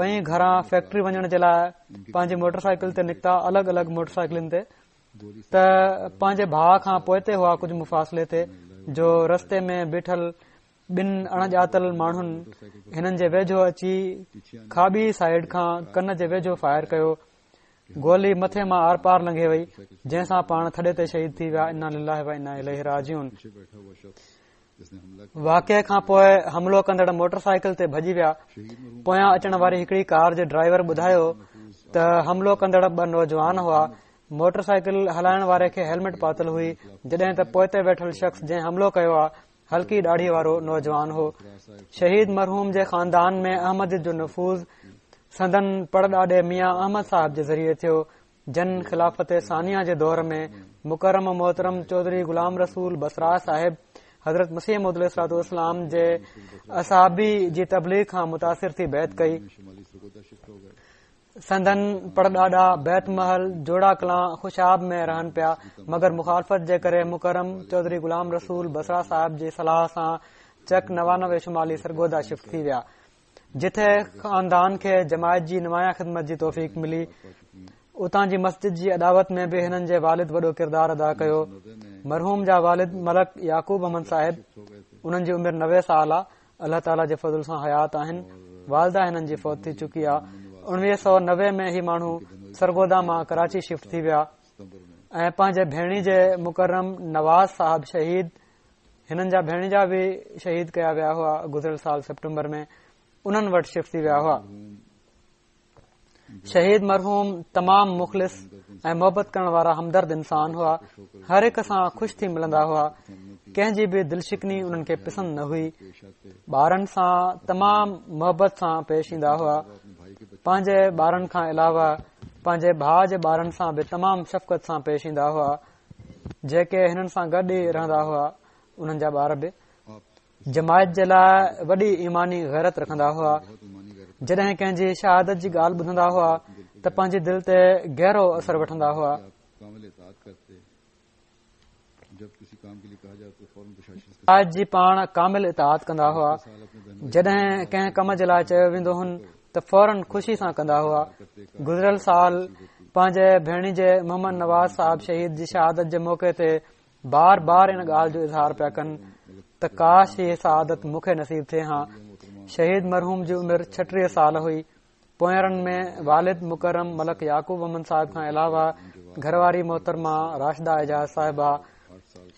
ॿई घरां फैक्ट्री वञण जे लाइ पंहिंजी मोटरसाइकिल ते निकिता, अलॻि अलॻि मोटरसाइकिलनि ते, त पंहिंजे भाउ खां पोइते हुआ कुझु मुफ़ासिले ते, जो रस्ते में बीठल ॿिनि अणॼातल माण्हुनि हिननि जे वेझो अची खाॿी साइड खां कन जे वेझो फायर कयो। गोली मथे मां are पार लंघे वई, जंहिंसां पाण थॾे ते शहीद थी विया। इन्ना लिल्लाहि व इन्ना इलैहि राजिऊन। वाक़े खां पोइ हमलो कंदड़ मोटरसाइकिल ते भॼी विया। पोयां अचण वारी हिकिड़ी कार जे ड्राइवर ॿुधायो त हमलो कंदड़ ॿ नौजवान हुआ। मोटरसाइकिल हलाइण वारे खे हेलमेट पातल हुई, जॾहिं त पोइते वेठल शख़्स जंहिं हमलो कयो आहे हल्की ॾाढ़ी वारो नौजवान हो। शहीद मरहूम जे ख़ानदान में अहमद जो नफ़ूज़ संदन पड़ॾाॾे मियां अहमद साहब जे ज़रिए थियो, जन ख़िलाफ़त सानिया जे दौर में मुकरम मोहतरम चौधरी ग़ुलाम रसूल बसरा साहिब हज़रत मसीह मौऊद अलैहिस्सलाम जे असाबी जी तबलीग खां मुतासिर थी बैत कई। संदन पड़ॾाॾा बैत महल जोड़ा कलां खुशाब में रहनि पिया, मगर मुखालफ़त जे करे मुकरम चौधरी ग़ुलाम रसूल बसरा साहिब जी सलाह सां चक नवानवे शुमाली सरगोदा शिफ्ट थी विया, जिथे ख़ानदान खे जमायत जी नुमाया ख़िदमत जी तौफ़ीक मिली। उतां जी मस्जिद जी अदावत में बि हिननि जे वालिद वॾो किरदार अदा कयो। मरहूम जा वालिद मलक याकूब अहमद साहिब, उन्हनि जी उमिरि नवे साल आहे, अल्लाह ताला जे फ़ज़ल सां हयात आहिनि। वालदा हिननि जी फौत थी चुकी आहे। उणिवीह सौ नवे में ही माण्हू सरगोदा मां कराची शिफ्ट थी विया ऐं पंहिंजे भेणी जे मुकरम नवाज़ साहब शहीद, हिननि जा भेणीजा बि शहीद कया विया हुआ गुज़िरियल साल सेप्टेम्बर में, उन्हनि वटि शिफ्ट थी विया हुआ। शहीद मरहूम तमाम मुख़लिस ऐं मोहबत करण वारा हमदर्द इंसान हुआ। हर हिक सां ख़ुशि थी मिलंदा हुआ, कंहिंजी बि दिलशिकनी उन्हनि खे पसंदि न हुई। ॿारनि सां तमाम मोहबत सां पेश ईंदा हुआ। पंहिंजे ॿारनि खां अलावा पंहिंजे भाउ जे ॿारनि सां बि तमाम शफ़क़त सां पेश ईंदा हुआ, जेके हिननि सां गॾु ई रहंदा हुआ। उन्हनि जा ॿार बि जमायत जे लाइ वॾी ईमानी ग़ैरत रखंदा हुआ। जॾहिं कंहिंजी शहादत जी ॻाल्हि ॿुधंदा हुआ त पंहिंजी दिलि ते गहरो असर वठंदा हुआ। जमायत जी पाण कामिल इताअत कंदा हुआ। जॾहिं कंहिं कम जे लाइ चयो वेंदो हुन त फ़ौरन ख़ुशी सां कंदा हुआ। गुज़िरियल साल पंहिंजे भेणी जे मोहम्मद नवाज़ साहब शहीद जी शहादत जे मौक़े ते बार बार इन ॻाल्हि जो इज़हार पिया कनि त काश ही शहादत मूंखे नसीब थिए हा। شهيد مرحوم جي عمر ڇٽيهه سال هئي. پوئرن ۾ والد مڪرم ملڪ يعقوب احمد صاحب کان علاوه گهرواري محترمه راشده اعجاز صاحبه،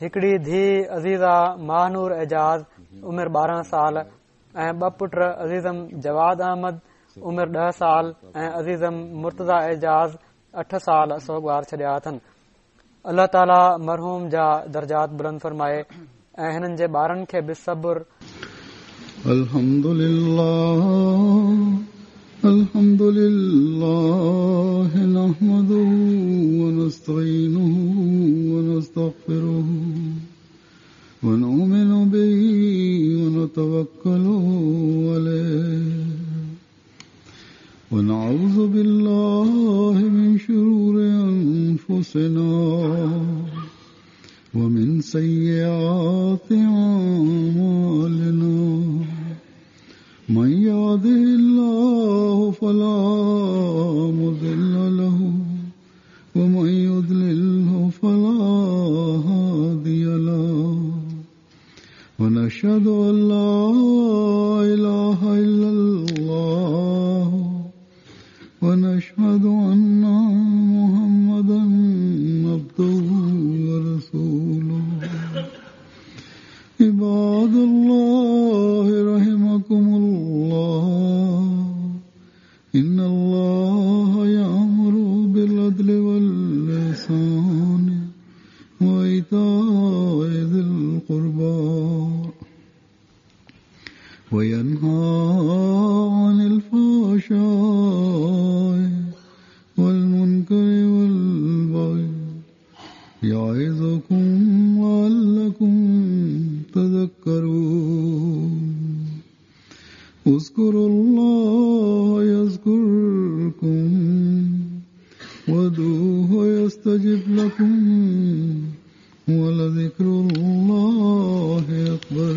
هڪڙي ڌيء عزيزه ماهنور اعجاز عمر ٻارهن سال ۽ ٻه پٽ عزيزم جواد احمد عمر ڏهه سال ۽ عزيزم مرتضيٰ اعجاز اٺ سال سوڳوار ڇڏيا اٿن. الله تعاليٰ مرحوم جا درجات بلند فرمائي ۽ هنن جي ٻارن کي به صبر. الحمد لله الحمد لله نحمده ونستعينه ونستغفره ونؤمن به ونتوكل عليه ونعوذ بالله من شرور أنفسنا ومن سيئات أعمالنا من يهده الله فلا مضل له ومن يضلله فلا هادي له ونشهد أن لا إله إلا الله ونشهد أن محمدا عبده ورسوله. عباد الله رحمكم الله، إن الله يأمر بالعدل والإحسان وإيتاء ذي القربى وينهى عن الفحشاء والمنكر والبغي يعظكم لعلكم تذكرون. اذكروا الله يذكركم وادعوه يستجب لكم ولذكر الله أكبر.